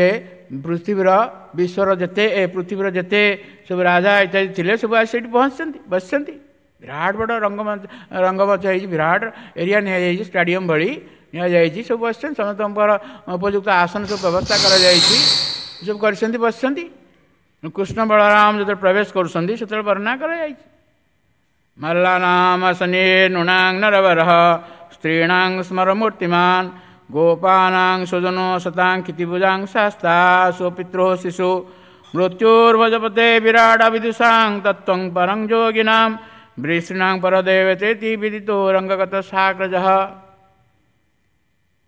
ପୃଥିବୀର ବିଶ୍ୱର ଯେତେ ପୃଥିବୀର ଯେତେ ସବୁ ରାଜା ଇତ୍ୟାଦି ଥିଲେ ସବୁ ଆସି ସେଇଠି ପହଞ୍ଚିଛନ୍ତି, ବସିଛନ୍ତି। ବିରାଟ ବଡ଼ ରଙ୍ଗମଞ୍ଚ ହେଇଛି, ବିରାଟ ଏରିଆ ନିଆଯାଇଛି, ଷ୍ଟାଡ଼ିୟମ୍ ଭଳି ନିଆଯାଇଛି, ସବୁ ବସିଛନ୍ତି। ସମସ୍ତଙ୍କର ଉପଯୁକ୍ତ ଆସନ ସବୁ ବ୍ୟବସ୍ଥା କରାଯାଇଛି, ସବୁ କରିଛନ୍ତି, ବସିଛନ୍ତି। କୃଷ୍ଣ ବଳରାମ ଯେତେବେଳେ ପ୍ରବେଶ କରୁଛନ୍ତି ସେତେବେଳେ ବର୍ଣ୍ଣନା କରାଯାଇଛି। ମଲ୍ଲାନାମ ଶନି ନୃଣାଂ ନରବରଃ ସ୍ତ୍ରୀଣାଂ ସ୍ମର ମୂର୍ତ୍ତିମାନ ଗୋପାନାଂ ସ୍ୱଜନୋ ସତାଂ କ୍ଷିତିଭୁଜାଂ ଶାସ୍ତା ସ୍ୱପିତୃ ଶିଶୁ ମୃତ୍ୟୁର୍ଭଜପତେ ବିରାଟ ବିଦୁଷାଂ ତତ୍ତ୍ୱଂ ପରଂ ଯୋଗିନାಂ ବିଷ୍ଣୁଂ ପରଦେବତେତି ବିଦିତୋ ରଙ୍ଗଗତ ସାଗ୍ରଜଃ।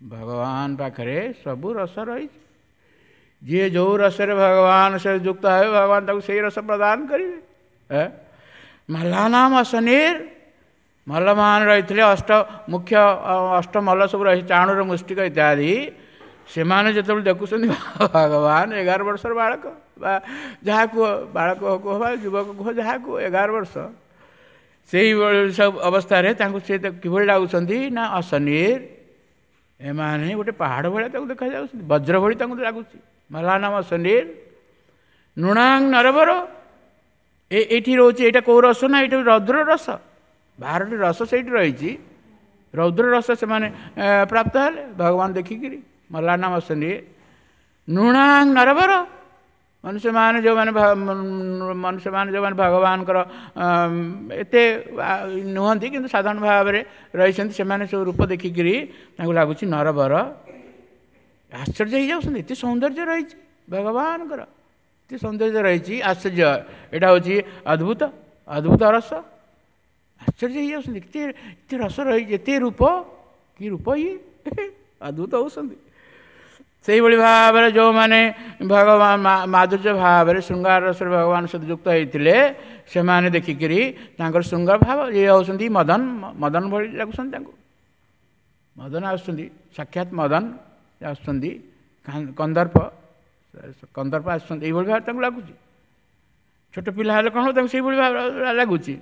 ଭଗବାନ ପାଖରେ ସବୁ ରସ ରହିଛି। ଯିଏ ଯେଉଁ ରସରେ ଭଗବାନ ସେ ଯୁକ୍ତ ହେବେ, ଭଗବାନ ତାକୁ ସେଇ ରସ ପ୍ରଦାନ କରିବେ। ମଲ୍ଲାନାମ ଅଶନିର, ମଲ୍ଲମାନ ରହିଥିଲେ, ଅଷ୍ଟ ମୁଖ୍ୟ ଅଷ୍ଟ ମଲ୍ଲ ସବୁ ରହିଛି, ଚାଣୁର ମୁଷ୍ଟିକ ଇତ୍ୟାଦି। ସେମାନେ ଯେତେବେଳେ ଦେଖୁଛନ୍ତି ଭଗବାନ 11 ବର୍ଷର ବାଳକ ବା ଯାହାକୁ ବାଳକ କୁହ ବା ଯୁବକ କୁହ, ଯାହାକୁ 11 ବର୍ଷ, ସେଇଭଳି ସବୁ ଅବସ୍ଥାରେ ତାଙ୍କୁ ସେ କିଭଳି ଲାଗୁଛନ୍ତି ନା ଅଶନିର, ଏମାନେ ଗୋଟେ ପାହାଡ଼ ଭଳିଆ ତାକୁ ଦେଖାଯାଉଛନ୍ତି, ବଜ୍ର ଭଳି ତାଙ୍କୁ ଲାଗୁଛି। ମଲ୍ଲାନାମ ଅଶନିର ନୃଣାଂ ନରବର। ଏଇଠି ରହୁଛି, ଏଇଟା କେଉଁ ରସ ନା ଏଇଟା ରୌଦ୍ର ରସ। 12ଟି ରସ ସେଇଠି ରହିଛି, ରୌଦ୍ର ରସ ସେମାନେ ପ୍ରାପ୍ତ ହେଲେ ଭଗବାନ ଦେଖିକିରି। ମଲ୍ଲାନାମ ଅଶନିର ନୃଣାଂ ନରବର, ମନୁଷ୍ୟମାନେ ଯେଉଁମାନେ ମନୁଷ୍ୟମାନେ ଯେଉଁମାନେ ଭଗବାନଙ୍କର ଏତେ ନୁହନ୍ତି କିନ୍ତୁ ସାଧାରଣ ଭାବରେ ରହିଛନ୍ତି, ସେମାନେ ସବୁ ରୂପ ଦେଖିକିରି ତାଙ୍କୁ ଲାଗୁଛି ନରବର। ଆଶ୍ଚର୍ଯ୍ୟ ହେଇଯାଉଛନ୍ତି, ଏତେ ସୌନ୍ଦର୍ଯ୍ୟ ରହିଛି ଭଗବାନଙ୍କର, ଏତେ ସୌନ୍ଦର୍ଯ୍ୟ ରହିଛି, ଆଶ୍ଚର୍ଯ୍ୟ। ଏଇଟା ହେଉଛି ଅଦ୍ଭୁତ, ଅଦ୍ଭୁତ ରସ। ଆଶ୍ଚର୍ଯ୍ୟ ହେଇଯାଉଛନ୍ତି, ଏତେ ଏତେ ରସ ରହିଛି, ଏତେ ରୂପ, କି ରୂପ ଇଏ, ଅଦ୍ଭୁତ ହେଉଛନ୍ତି। ସେଇଭଳି ଭାବରେ ଯେଉଁମାନେ ଭଗବାନ ମାଧୁର୍ଯ୍ୟ ଭାବରେ ଶୃଙ୍ଗାର ରସରେ ଭଗବାନ ସହିତ ଯୁକ୍ତ ହେଇଥିଲେ, ସେମାନେ ଦେଖିକିରି ତାଙ୍କର ଶୃଙ୍ଗାର ଭାବ ଇଏ ହେଉଛନ୍ତି ମଦନ, ମଦନ ଭଳି ଲାଗୁଛନ୍ତି ତାଙ୍କୁ। ମଦନ ଆସୁଛନ୍ତି, ସାକ୍ଷାତ ମଦନ ଆସୁଛନ୍ତି, କନ୍ଦର୍ପ, କନ୍ଦର୍ପ ଆସୁଛନ୍ତି, ଏଇଭଳି ଭାବରେ ତାଙ୍କୁ ଲାଗୁଛି। ଛୋଟ ପିଲା ହେଲେ କ'ଣ ହେବ, ତାଙ୍କୁ ସେଇଭଳି ଭାବରେ ଲାଗୁଛି।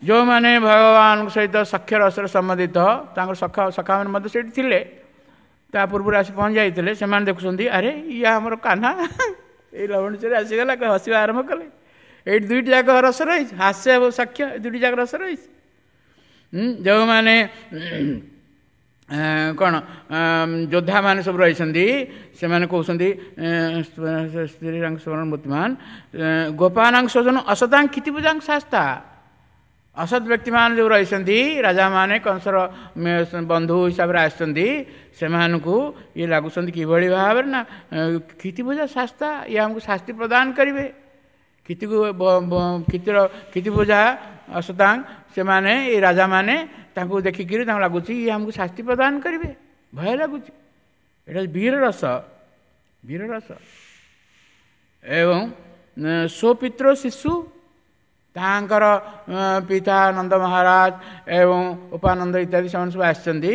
ଯେଉଁମାନେ ଭଗବାନଙ୍କ ସହିତ ସଖ୍ୟ ରସରେ ସମ୍ବନ୍ଧିତ, ତାଙ୍କର ସଖା ସଖାମାନେ ମଧ୍ୟ ସେଇଠି ଥିଲେ, ତା ପୂର୍ବରୁ ଆସି ପହଞ୍ଚି ଯାଇଥିଲେ। ସେମାନେ ଦେଖୁଛନ୍ତି, ଆରେ ଇଏ ଆମର କାହ୍ନା, ଏଇ ଲବଣୀଚୋରି ଆସିଗଲା, ହସିବା ଆରମ୍ଭ କଲେ। ଏଇଠି ଦୁଇଟି ଯାକ ରସ ରହିଛି, ହାସ୍ୟ ଏବଂ ସାକ୍ଷ୍ୟ, ଦୁଇଟି ଯାକ ରସ ରହିଛି। ଯେଉଁମାନେ କ'ଣ ଯୋଦ୍ଧାମାନେ ସବୁ ରହିଛନ୍ତି, ସେମାନେ କହୁଛନ୍ତି ସ୍ତ୍ରୀରାଙ୍କ ମୂର୍ତ୍ତିମାନ ଗୋପାନାଙ୍କ ସ୍ୱଜନ ଅସତାଂ କ୍ଷିତିପୂଜାଂ ଶାସ୍ତା। ଅସତ୍ ବ୍ୟକ୍ତିମାନେ ଯେଉଁ ରହିଛନ୍ତି, ରାଜାମାନେ କଂସର ବନ୍ଧୁ ହିସାବରେ ଆସିଛନ୍ତି, ସେମାନଙ୍କୁ ଇଏ ଲାଗୁଛନ୍ତି କିଭଳି ଭାବରେ ନା କ୍ଷିତିପୂଜା ଶାସ୍ତା, ଇଏ ଆମକୁ ଶାସ୍ତି ପ୍ରଦାନ କରିବେ। କ୍ଷିତିକୁ କ୍ଷିତିର କ୍ଷିତିପୂଜା ଅସତାଂ, ସେମାନେ ଏ ରାଜାମାନେ ତାଙ୍କୁ ଦେଖିକିରି ତାଙ୍କୁ ଲାଗୁଛି ଇଏ ଆମକୁ ଶାସ୍ତି ପ୍ରଦାନ କରିବେ, ଭୟ ଲାଗୁଛି। ଏଇଟା ବୀର ରସ, ବୀର ରସ। ଏବଂ ସ୍ୱପିତ୍ର ଶିଶୁ, ତାଙ୍କର ପିତା ନନ୍ଦ ମହାରାଜ ଏବଂ ଉପାନନ୍ଦ ଇତ୍ୟାଦି ସେମାନେ ସବୁ ଆସିଛନ୍ତି।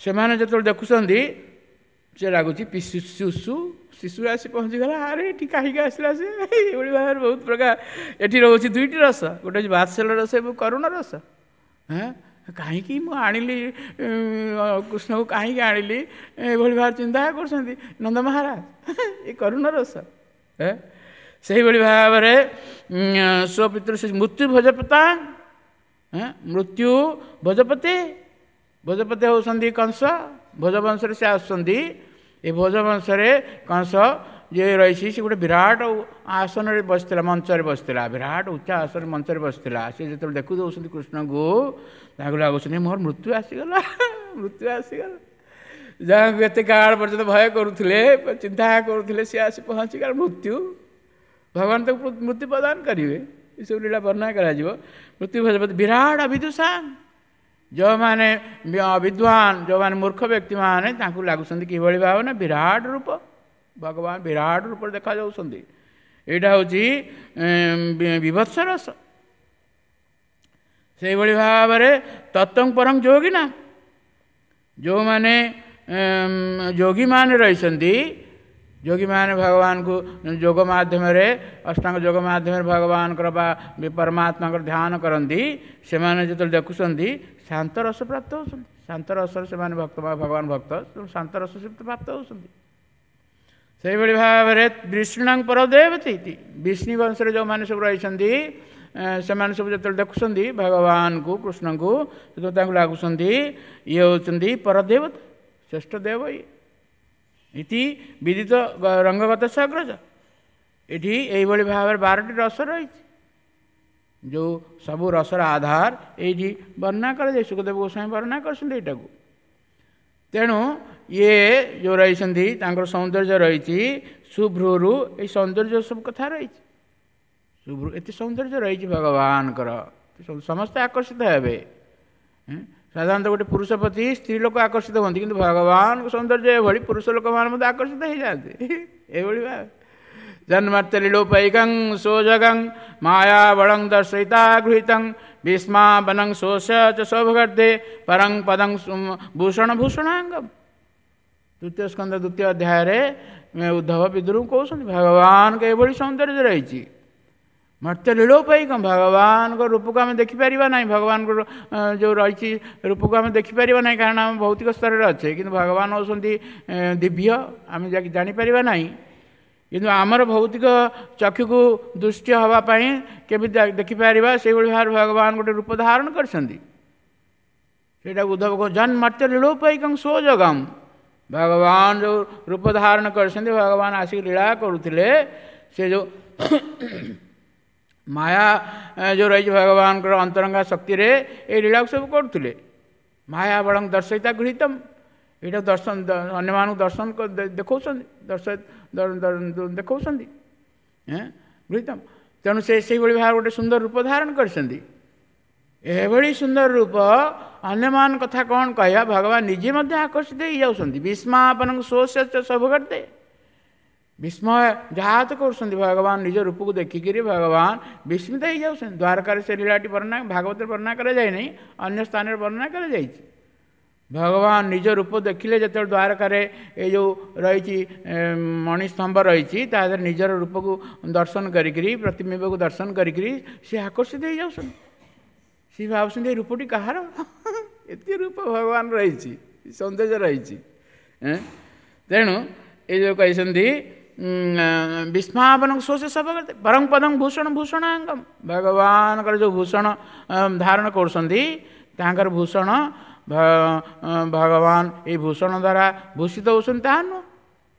ସେମାନେ ଯେତେବେଳେ ଦେଖୁଛନ୍ତି, ସେ ଲାଗୁଛି ଶିଶୁ, ଶିଶୁ ଆସି ପହଞ୍ଚିଗଲା, ଆରେ ଏଠି କାହିଁକି ଆସିଲା ସେ, ଏଇଭଳି ଭାବରେ ବହୁତ ପ୍ରକାର। ଏଠି ରହୁଛି ଦୁଇଟି ରସ, ଗୋଟେ ହେଉଛି ବାତ୍ସଲ୍ୟ ରସ ଏବଂ କରୁଣ ରସ। ହଁ, କାହିଁକି ମୁଁ ଆଣିଲି କୃଷ୍ଣକୁ, କାହିଁକି ଆଣିଲି, ଏଭଳି ଭାବରେ ଚିନ୍ତା କରୁଛନ୍ତି ନନ୍ଦ ମହାରାଜ, ଏ କରୁଣ ରସ। ସେଇଭଳି ଭାବରେ ସ୍ୱପିତୃ ମୃତ୍ୟୁ ଭୋଜପତା, ମୃତ୍ୟୁ ଭୋଜପତି, ଭୋଜପତି ହେଉଛନ୍ତି କଂସ, ଭୋଜବଂଶରେ ସେ ଆସୁଛନ୍ତି। ଏ ଭୋଜବଂଶରେ କଂସ ଯିଏ ରହିଛି, ସେ ଗୋଟେ ବିରାଟ ଆସନରେ ବସିଥିଲା, ମଞ୍ଚରେ ବସିଥିଲା, ବିରାଟ ଉଚ୍ଚ ଆସନରେ ମଞ୍ଚରେ ବସିଥିଲା। ସେ ଯେତେବେଳେ ଦେଖୁ ଦେଉଛନ୍ତି କୃଷ୍ଣଙ୍କୁ, ତାଙ୍କୁ ଲାଗୁଛନ୍ତି ମୋର ମୃତ୍ୟୁ ଆସିଗଲା, ମୃତ୍ୟୁ ଆସିଗଲା। ଯାହାକୁ ଏତେ କାଳ ପର୍ଯ୍ୟନ୍ତ ଭୟ କରୁଥିଲେ, ଚିନ୍ତା କରୁଥିଲେ, ସେ ଆସି ପହଞ୍ଚିଗଲା ମୃତ୍ୟୁ। ଭଗବାନ ତାକୁ ମୃତ୍ୟୁ ପ୍ରଦାନ କରିବେ, ଏସବୁ ଲୀଳା ବର୍ଣ୍ଣନା କରାଯିବ। ମୃତ୍ୟୁ ଭଜପତି ବିରାଟ ଅବିଦୁଷାନ, ଯେଉଁମାନେ ବିଦ୍ୱାନ, ଯେଉଁମାନେ ମୂର୍ଖ ବ୍ୟକ୍ତିମାନେ, ତାଙ୍କୁ ଲାଗୁଛନ୍ତି କିଭଳି ଭାବେ ନା ବିରାଟ ରୂପ, ଭଗବାନ ବିରାଟ ରୂପରେ ଦେଖାଯାଉଛନ୍ତି। ଏଇଟା ହେଉଛି ବିଭତ୍ସ ରସ। ସେଇଭଳି ଭାବରେ ତତ୍ତ୍ୱ ପରଂ ଯୋଗିନା, ଯେଉଁମାନେ ଯୋଗୀମାନେ ରହିଛନ୍ତି, ଯୋଗୀମାନେ ଭଗବାନଙ୍କୁ ଯୋଗ ମାଧ୍ୟମରେ, ଅଷ୍ଟାଙ୍ଗ ଯୋଗ ମାଧ୍ୟମରେ ଭଗବାନଙ୍କର ବା ପରମାତ୍ମାଙ୍କର ଧ୍ୟାନ କରନ୍ତି, ସେମାନେ ଯେତେବେଳେ ଦେଖୁଛନ୍ତି ଶାନ୍ତ ରସ ପ୍ରାପ୍ତ ହେଉଛନ୍ତି। ଶାନ୍ତ ରସରେ ସେମାନେ ଭକ୍ତ, ଭଗବାନ ଭକ୍ତ, ଶାନ୍ତ ରସ ସେ ପ୍ରାପ୍ତ ହେଉଛନ୍ତି। ସେଇଭଳି ଭାବରେ ବିଷ୍ଣୁଙ୍କ ପରଦେବତୀ, ବିଷ୍ଣୁ ବଂଶରେ ଯେଉଁମାନେ ସବୁ ରହିଛନ୍ତି, ସେମାନେ ସବୁ ଯେତେବେଳେ ଦେଖୁଛନ୍ତି ଭଗବାନଙ୍କୁ, କୃଷ୍ଣଙ୍କୁ, ସେତେବେଳେ ତାଙ୍କୁ ଲାଗୁଛନ୍ତି ଇଏ ହେଉଛନ୍ତି ପରଦେବତା, ଶ୍ରେଷ୍ଠ ଦେବ ଇଏ। ଇତି ବିଦିତ ରଙ୍ଗଗତ ସାଗ୍ରଜ। ଏଠି ଏଇଭଳି ଭାବରେ 12ଟି ରସ ରହିଛି, ଯେଉଁ ସବୁ ରସର ଆଧାର ଏଇଠି ବର୍ଣ୍ଣନା କରାଯାଏ। ଶୁକଦେବ ଗୋସ୍ୱାମୀ ବର୍ଣ୍ଣନା କରିଛନ୍ତି ଏଇଟାକୁ। ତେଣୁ ଇଏ ଯେଉଁ ରହିଛନ୍ତି ତାଙ୍କର ସୌନ୍ଦର୍ଯ୍ୟ ରହିଛି, ସୁଭ୍ରୂରୁ ଏଇ ସୌନ୍ଦର୍ଯ୍ୟ ସବୁ କଥା ରହିଛି। ଶୁଭ୍ରୁ ଏତେ ସୌନ୍ଦର୍ଯ୍ୟ ରହିଛି ଭଗବାନଙ୍କର, ସମସ୍ତେ ଆକର୍ଷିତ ହେବେ। ସାଧାରଣତଃ ଗୋଟେ ପୁରୁଷ ପ୍ରତି ସ୍ତ୍ରୀ ଲୋକ ଆକର୍ଷିତ ହୁଅନ୍ତି, କିନ୍ତୁ ଭଗବାନଙ୍କ ସୌନ୍ଦର୍ଯ୍ୟ ଏଭଳି ପୁରୁଷ ଲୋକମାନେ ମଧ୍ୟ ଆକର୍ଷିତ ହେଇଯାଆନ୍ତି। ଏଇଭଳି ଭାବେ ଜନ୍ମର୍ତ୍ୟଲୀଲୋପୈକଂ ସୋଜଗଂ ମାୟାବଳଂ ଦର୍ଶୟିତା ଗୃହୀତଂ ଭୀଷ୍ମାବନଂ ଶୋଷ ଚ ଶୋଭଗର୍ଦ୍ଧେ ପରଂ ପଦଂ ଭୂଷଣ ଭୂଷଣାଙ୍ଗମ୍। ତୃତୀୟ ସ୍କନ୍ଧ ଦ୍ୱିତୀୟ ଅଧ୍ୟାୟରେ ଉଦ୍ଧବ ବିଦୁରଙ୍କୁ କହୁଛନ୍ତି ଭଗବାନଙ୍କ ଏଭଳି ସୌନ୍ଦର୍ଯ୍ୟ ରହିଛି। ମର୍ତ୍ତ୍ୟ ଲୀଳୋପୈକଂ, ଭଗବାନଙ୍କ ରୂପକୁ ଆମେ ଦେଖିପାରିବା ନାହିଁ, ଭଗବାନଙ୍କ ଯେଉଁ ରହିଛି ରୂପକୁ ଆମେ ଦେଖିପାରିବା ନାହିଁ, କାରଣ ଆମେ ଭୌତିକ ସ୍ତରରେ ଅଛେ, କିନ୍ତୁ ଭଗବାନ ହେଉଛନ୍ତି ଦିବ୍ୟ, ଆମେ ଜାଣିପାରିବା ନାହିଁ। କିନ୍ତୁ ଆମର ଭୌତିକ ଚକ୍ଷୁକୁ ଦୃଷ୍ଟି ହେବା ପାଇଁ କେମିତି ଦେଖିପାରିବା, ସେଇଭଳି ଭାବରେ ଭଗବାନ ଗୋଟେ ରୂପ ଧାରଣ କରିଛନ୍ତି। ସେଇଟା ଉଦ୍ଧବ କହୁ ଜନ୍ମର୍ତ୍ତ୍ୟ ଲୀଳୋପୈକଂ ସୋଜଗମ୍। ଭଗବାନ ଯେଉଁ ରୂପ ଧାରଣ କରିଛନ୍ତି, ଭଗବାନ ଆସିକି ଲୀଳା କରୁଥିଲେ, ସେ ଯେଉଁ ମାୟା ଯେଉଁ ରହିଛି ଭଗବାନଙ୍କର ଅନ୍ତରଙ୍ଗା ଶକ୍ତିରେ ଏଇ ଲୀଳାକୁ ସବୁ କରୁଥିଲେ। ମାୟା ବଳଂ ଦର୍ଶୟିତା ଗୃହୀତମ୍, ଏଇଟା ଦର୍ଶନ ଅନ୍ୟମାନଙ୍କୁ ଦର୍ଶନ ଦେଖାଉଛନ୍ତି, ଦେଖାଉଛନ୍ତି ଗୃହୀତମ୍। ତେଣୁ ସେ ସେଇଭଳି ଭାବରେ ଗୋଟେ ସୁନ୍ଦର ରୂପ ଧାରଣ କରିଛନ୍ତି। ଏଭଳି ସୁନ୍ଦର ରୂପ ଅନ୍ୟମାନଙ୍କ କଥା କ'ଣ କହିବା, ଭଗବାନ ନିଜେ ମଧ୍ୟ ଆକର୍ଷିତ ହେଇଯାଉଛନ୍ତି। ବିସ୍ମାପନଙ୍କ ଶୋଷ ସବୁ କରିଦେ ବିସ୍ମୟ ଯାହା ତ କରୁଛନ୍ତି, ଭଗବାନ ନିଜ ରୂପକୁ ଦେଖିକିରି ଭଗବାନ ବିସ୍ମିତ ହେଇଯାଉଛନ୍ତି। ଦ୍ୱାରକାରେ ସେ ଲୀଳାଟି ବର୍ଣ୍ଣନା, ଭାଗବତରେ ବର୍ଣ୍ଣନା କରାଯାଇନି, ଅନ୍ୟ ସ୍ଥାନରେ ବର୍ଣ୍ଣନା କରାଯାଇଛି। ଭଗବାନ ନିଜ ରୂପ ଦେଖିଲେ ଯେତେବେଳେ ଦ୍ୱାରକାରେ ଏଇ ଯେଉଁ ରହିଛି ମଣିସ୍ତମ୍ଭ ରହିଛି, ତା ଦେହରେ ନିଜର ରୂପକୁ ଦର୍ଶନ କରିକିରି, ପ୍ରତିବିମ୍ବକୁ ଦର୍ଶନ କରିକିରି ସେ ଆକର୍ଷିତ ହେଇଯାଉଛନ୍ତି। ସେ ଭାବୁଛନ୍ତି ଏ ରୂପଟି କାହାର, ଏତେ ରୂପ ଭଗବାନ ରହିଛି, ସୌନ୍ଦର୍ଯ୍ୟ ରହିଛି। ତେଣୁ ଏ ଯେଉଁ କହିଛନ୍ତି ବିସ୍ମାପନଙ୍କ ଶୋଷ ସଭ ପରଂ ପଦଂ ଭୂଷଣ ଭୂଷଣାଙ୍ଗମ୍, ଭଗବାନଙ୍କର ଯେଉଁ ଭୂଷଣ ଧାରଣ କରୁଛନ୍ତି ତାଙ୍କର ଭୂଷଣ ଭଗବାନ ଏଇ ଭୂଷଣ ଦ୍ୱାରା ଭୂଷିତ ହେଉଛନ୍ତି ତାହା ନୁହଁ,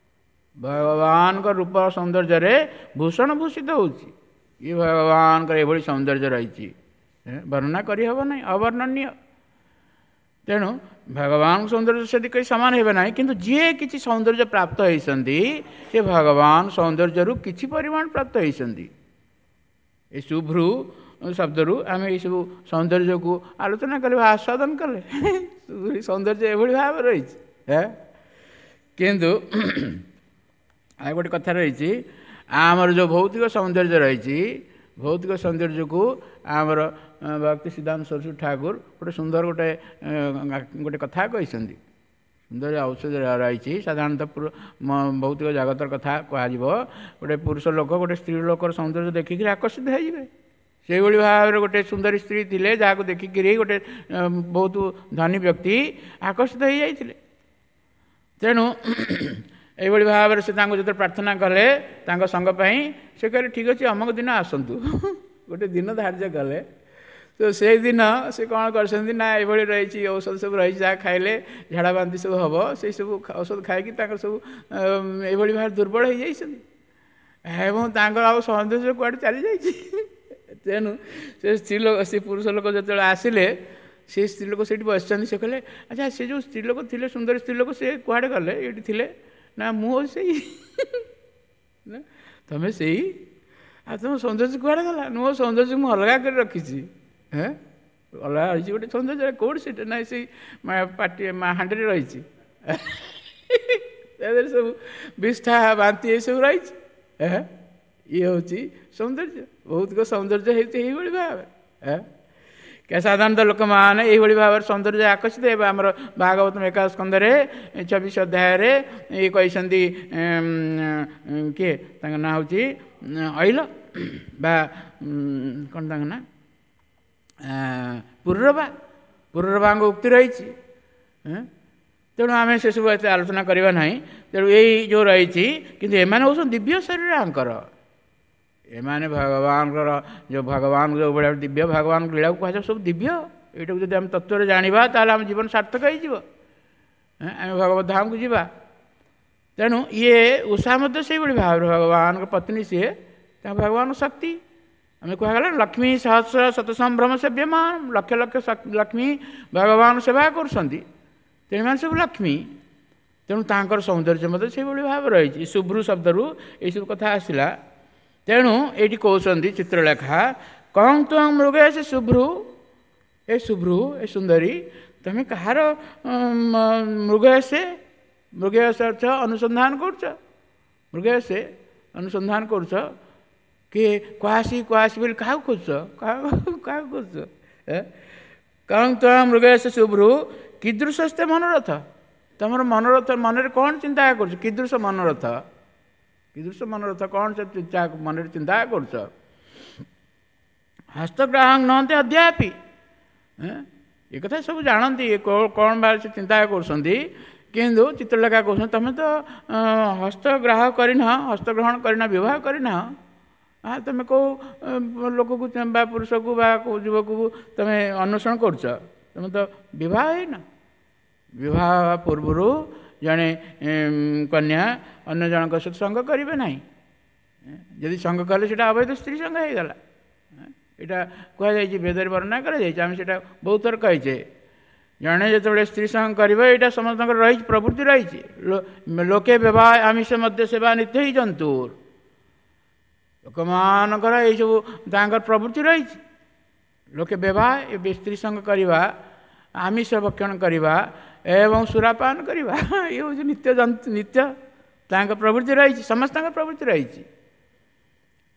ଭଗବାନଙ୍କ ରୂପ ସୌନ୍ଦର୍ଯ୍ୟରେ ଭୂଷଣ ଭୂଷିତ ହେଉଛି। ଇଏ ଭଗବାନଙ୍କର ଏଭଳି ସୌନ୍ଦର୍ଯ୍ୟ ରହିଛି, ବର୍ଣ୍ଣନା କରିହେବ ନାହିଁ, ଅବର୍ଣ୍ଣନୀୟ। ତେଣୁ ଭଗବାନଙ୍କ ସୌନ୍ଦର୍ଯ୍ୟ ସେଠି କେହି ସମାନ ହେବେ ନାହିଁ, କିନ୍ତୁ ଯିଏ କିଛି ସୌନ୍ଦର୍ଯ୍ୟ ପ୍ରାପ୍ତ ହେଇଛନ୍ତି ସେ ଭଗବାନ ସୌନ୍ଦର୍ଯ୍ୟରୁ କିଛି ପରିମାଣ ପ୍ରାପ୍ତ ହେଇଛନ୍ତି। ଏ ଶୁଭ୍ରୁ ଶବ୍ଦରୁ ଆମେ ଏଇସବୁ ସୌନ୍ଦର୍ଯ୍ୟକୁ ଆଲୋଚନା କଲେ ବା ଆସ୍ୱାଦନ କଲେ, ସୌନ୍ଦର୍ଯ୍ୟ ଏଭଳି ଭାବରେ ରହିଛି। କିନ୍ତୁ ଆଉ ଗୋଟେ କଥା ରହିଛି, ଆମର ଯେଉଁ ଭୌତିକ ସୌନ୍ଦର୍ଯ୍ୟ ରହିଛି, ଭୌତିକ ସୌନ୍ଦର୍ଯ୍ୟକୁ ଆମର ଭକ୍ତି ସିଦ୍ଧାନ୍ତ ସରସ୍ୱତୀ ଠାକୁର ଗୋଟେ ସୁନ୍ଦର ଗୋଟେ ଗୋଟେ କଥା କହିଛନ୍ତି। ସୁନ୍ଦର ଔଷଧ ରହିଛି। ସାଧାରଣତଃ ଭୌତିକ ଜଗତର କଥା କୁହାଯିବ, ଗୋଟେ ପୁରୁଷ ଲୋକ ଗୋଟେ ସ୍ତ୍ରୀ ଲୋକର ସୌନ୍ଦର୍ଯ୍ୟ ଦେଖିକିରି ଆକର୍ଷିତ ହେଇଯିବେ। ସେଇଭଳି ଭାବରେ ଗୋଟେ ସୁନ୍ଦରୀ ସ୍ତ୍ରୀ ଥିଲେ, ଯାହାକୁ ଦେଖିକିରି ଗୋଟେ ବହୁତ ଧନୀ ବ୍ୟକ୍ତି ଆକର୍ଷିତ ହେଇଯାଇଥିଲେ। ତେଣୁ ଏଇଭଳି ଭାବରେ ସେ ତାଙ୍କୁ ଯେତେବେଳେ ପ୍ରାର୍ଥନା କଲେ ତାଙ୍କ ସଙ୍ଗ ପାଇଁ, ସେ କହିଲେ ଠିକ୍ ଅଛି ଅମକ ଦିନ ଆସନ୍ତୁ, ଗୋଟେ ଦିନ ଧାର୍ଯ୍ୟ କଲେ। ତ ସେଇଦିନ ସେ କ'ଣ କରିଛନ୍ତି ନା, ଏଇଭଳି ରହିଛି ଔଷଧ ସବୁ ରହିଛି, ଯାହା ଖାଇଲେ ଝାଡ଼ା ବାନ୍ତି ସବୁ ହେବ, ସେଇ ସବୁ ଔଷଧ ଖାଇକି ତାଙ୍କର ସବୁ ଏଇଭଳି ଭାବରେ ଦୁର୍ବଳ ହେଇଯାଇଛନ୍ତି ଏବଂ ତାଙ୍କର ଆଉ ସୌନ୍ଦର୍ଯ୍ୟ କୁଆଡ଼େ ଚାଲିଯାଇଛି। ତେଣୁ ସେ ସ୍ତ୍ରୀ ଲୋକ, ସେ ପୁରୁଷ ଲୋକ ଯେତେବେଳେ ଆସିଲେ, ସେ ସ୍ତ୍ରୀ ଲୋକ ସେଇଠି ବସିଛନ୍ତି। ସେ କହିଲେ ଆଚ୍ଛା ସେ ଯେଉଁ ସ୍ତ୍ରୀ ଲୋକ ଥିଲେ, ସୁନ୍ଦର ସ୍ତ୍ରୀ ଲୋକ, ସେ କୁଆଡ଼େ ଗଲେ, ଏଇଠି ଥିଲେ? ନା ମୁଁ ସେଇ। ନା ତମେ ସେଇ, ଆଉ ତୁମ ସୌନ୍ଦର୍ଯ୍ୟ କୁଆଡ଼େ ଗଲା? ମୋ ସୌନ୍ଦର୍ଯ୍ୟ ମୁଁ ଅଲଗା କରି ରଖିଛି। ଅଲଗା ରହିଛି ଗୋଟେ ସୌନ୍ଦର୍ଯ୍ୟ, କେଉଁଠି ସେଇଟା? ନାଇଁ ସେଇ ପାଟି ହାଣ୍ଡିରେ ରହିଛି, ତା ଦେହରେ ସବୁ ବିଷ୍ଠା ବାନ୍ତି ଏସବୁ ରହିଛି। ଇଏ ହେଉଛି ସୌନ୍ଦର୍ଯ୍ୟ, ଭୌତିକ ସୌନ୍ଦର୍ଯ୍ୟ ହେଉଛି ଏଇଭଳି ଭାବରେ। ସାଧାରଣତଃ ଲୋକମାନେ ଏଇଭଳି ଭାବରେ ସୌନ୍ଦର୍ଯ୍ୟ ଆକର୍ଷିତ ହେବେ। ଆମର ଭାଗବତ ଏକାଦଶ ସ୍କନ୍ଧରେ 24 ଅଧ୍ୟାୟରେ ଇଏ କହିଛନ୍ତି, କିଏ ତାଙ୍କ ନାଁ ହେଉଛି ଐଲ ବା କ'ଣ ତାଙ୍କ ନାଁ, ପୁରୁରବା, ପୁରୁରବାଙ୍କ ଉକ୍ତି ରହିଛି। ତେଣୁ ଆମେ ସେସବୁ ଏତେ ଆଲୋଚନା କରିବା ନାହିଁ। ତେଣୁ ଏଇ ଯେଉଁ ରହିଛି, କିନ୍ତୁ ଏମାନେ ହେଉଛନ୍ତି ଦିବ୍ୟ ଶରୀର ଆଙ୍କର। ଏମାନେ ଭଗବାନଙ୍କର ଯେଉଁ ଭଗବାନଙ୍କ ଯେଉଁ ଭଳିଆ ଦିବ୍ୟ, ଭଗବାନଙ୍କ ଲୀଳାକୁ କୁହାଯାଏ ସବୁ ଦିବ୍ୟ। ଏଇଟାକୁ ଯଦି ଆମେ ତତ୍ତ୍ୱରେ ଜାଣିବା ତାହେଲେ ଆମ ଜୀବନ ସାର୍ଥକ ହେଇଯିବ, ଆମେ ଭଗବତ ଧାମକୁ ଯିବା। ତେଣୁ ଇଏ ଉଷା ମଧ୍ୟ ସେଇଭଳି ଭାବରେ ଭଗବାନଙ୍କ ପତ୍ନୀ, ସିଏ ତାଙ୍କ ଭଗବାନଙ୍କ ଶକ୍ତି। ଆମେ କୁହାଗଲା ଲକ୍ଷ୍ମୀ ସହସ୍ର ଶତ ସମ୍ଭ୍ରମ ସେବ୍ୟମାନ, ଲକ୍ଷ ଲକ୍ଷ ଲକ୍ଷ୍ମୀ ଭଗବାନ ସେବା କରୁଛନ୍ତି, ତେଣୁ ଏମାନେ ସବୁ ଲକ୍ଷ୍ମୀ। ତେଣୁ ତାଙ୍କର ସୌନ୍ଦର୍ଯ୍ୟ ମଧ୍ୟ ସେଇଭଳି ଭାବରେ ରହିଛି। ଶୁଭ୍ରୁ ଶବ୍ଦରୁ ଏଇସବୁ କଥା ଆସିଲା। ତେଣୁ ଏଇଠି କହୁଛନ୍ତି ଚିତ୍ରଲେଖା, କଂ ତ୍ୱଂ ମୃଗେଶ ଶୁଭ୍ରୁ, ଏ ଶୁଭ୍ରୁ, ଏ ସୁନ୍ଦରୀ, ତୁମେ କାହାର ମୃଗେଶେ, ମୃଗେଶ ଅର୍ଥ ଅନୁସନ୍ଧାନ କରୁଛ, ମୃଗେଶେ ଅନୁସନ୍ଧାନ କରୁଛ, କିଏ କୁହାସି କୁହାସି ବୋଲି କାହାକୁ ଖୋଜୁଛ, କାହାକୁ ଖୋଜୁଛ? କଂ ତ୍ୱଂ ମୃଗେଶ ଶୁଭ୍ରୁ କୀଦୃଶସ୍ତେ ମନୋରଥ, ତୁମର ମନୋରଥ ମନରେ କ'ଣ ଚିନ୍ତା କରୁଛ? କୀଦୃଶ ମନୋରଥ, କୀଦୃଶ ମନୋରଥ କ'ଣ ସେ ଚିନ୍ତା ମନରେ ଚିନ୍ତା କରୁଛ? ହସ୍ତଗ୍ରାହକ ନହନ୍ତି ଅଦ୍ୟାପି, ଏ କଥା ସବୁ ଜାଣନ୍ତି, କ'ଣ ବା ସେ ଚିନ୍ତା କରୁଛନ୍ତି। କିନ୍ତୁ ଚିତ୍ରଲେଖା କହୁଛନ୍ତି ତୁମେ ତ ହସ୍ତଗ୍ରାହ କରିନାହ, ହସ୍ତଗ୍ରହଣ କରିନାହ, ବିବାହ କରିନାହ, ତୁମେ କେଉଁ ଲୋକକୁ ବା ପୁରୁଷକୁ ବା କେଉଁ ଯୁବକକୁ ତୁମେ ଅନ୍ୱେଷଣ କରୁଛ? ତୁମେ ତ ବିବାହ ହେଇନ। ବିବାହ ହେବା ପୂର୍ବରୁ ଜଣେ କନ୍ୟା ଅନ୍ୟ ଜଣଙ୍କ ସହିତ ସଙ୍ଗ କରିବେ ନାହିଁ। ଯଦି ସଙ୍ଗ କଲେ ସେଇଟା ଅବୈଧ ସ୍ତ୍ରୀ ସଙ୍ଗ ହେଇଗଲା। ଏଇଟା କୁହାଯାଇଛି, ବେଦରେ ବର୍ଣ୍ଣନା କରାଯାଇଛି, ଆମେ ସେଇଟା ବହୁତ ଥର କହିଛେ। ଜଣେ ଯେତେବେଳେ ସ୍ତ୍ରୀ ସଙ୍ଗ କରିବ, ଏଇଟା ସମସ୍ତଙ୍କର ରହିଛି, ପ୍ରବୃତ୍ତି ରହିଛି। ଲୋକେ ବିବାହ ଆମିଷ ମଧ୍ୟ ସେବା ନିତ୍ୟ ହିଁ ଜନ୍ତୁ, ଲୋକମାନଙ୍କର ଏଇସବୁ ତାଙ୍କର ପ୍ରବୃତ୍ତି ରହିଛି। ଲୋକେ ବିବାହ, ସ୍ତ୍ରୀ ସଙ୍ଗ କରିବା, ଆମିଷ ଭକ୍ଷଣ କରିବା ଏବଂ ସୁରାପାନ କରିବା, ଇଏ ହେଉଛି ନିତ୍ୟ ଜନ୍ତୁ, ନିତ୍ୟ ତାଙ୍କ ପ୍ରବୃତ୍ତି ରହିଛି, ସମସ୍ତଙ୍କ ପ୍ରବୃତ୍ତି ରହିଛି।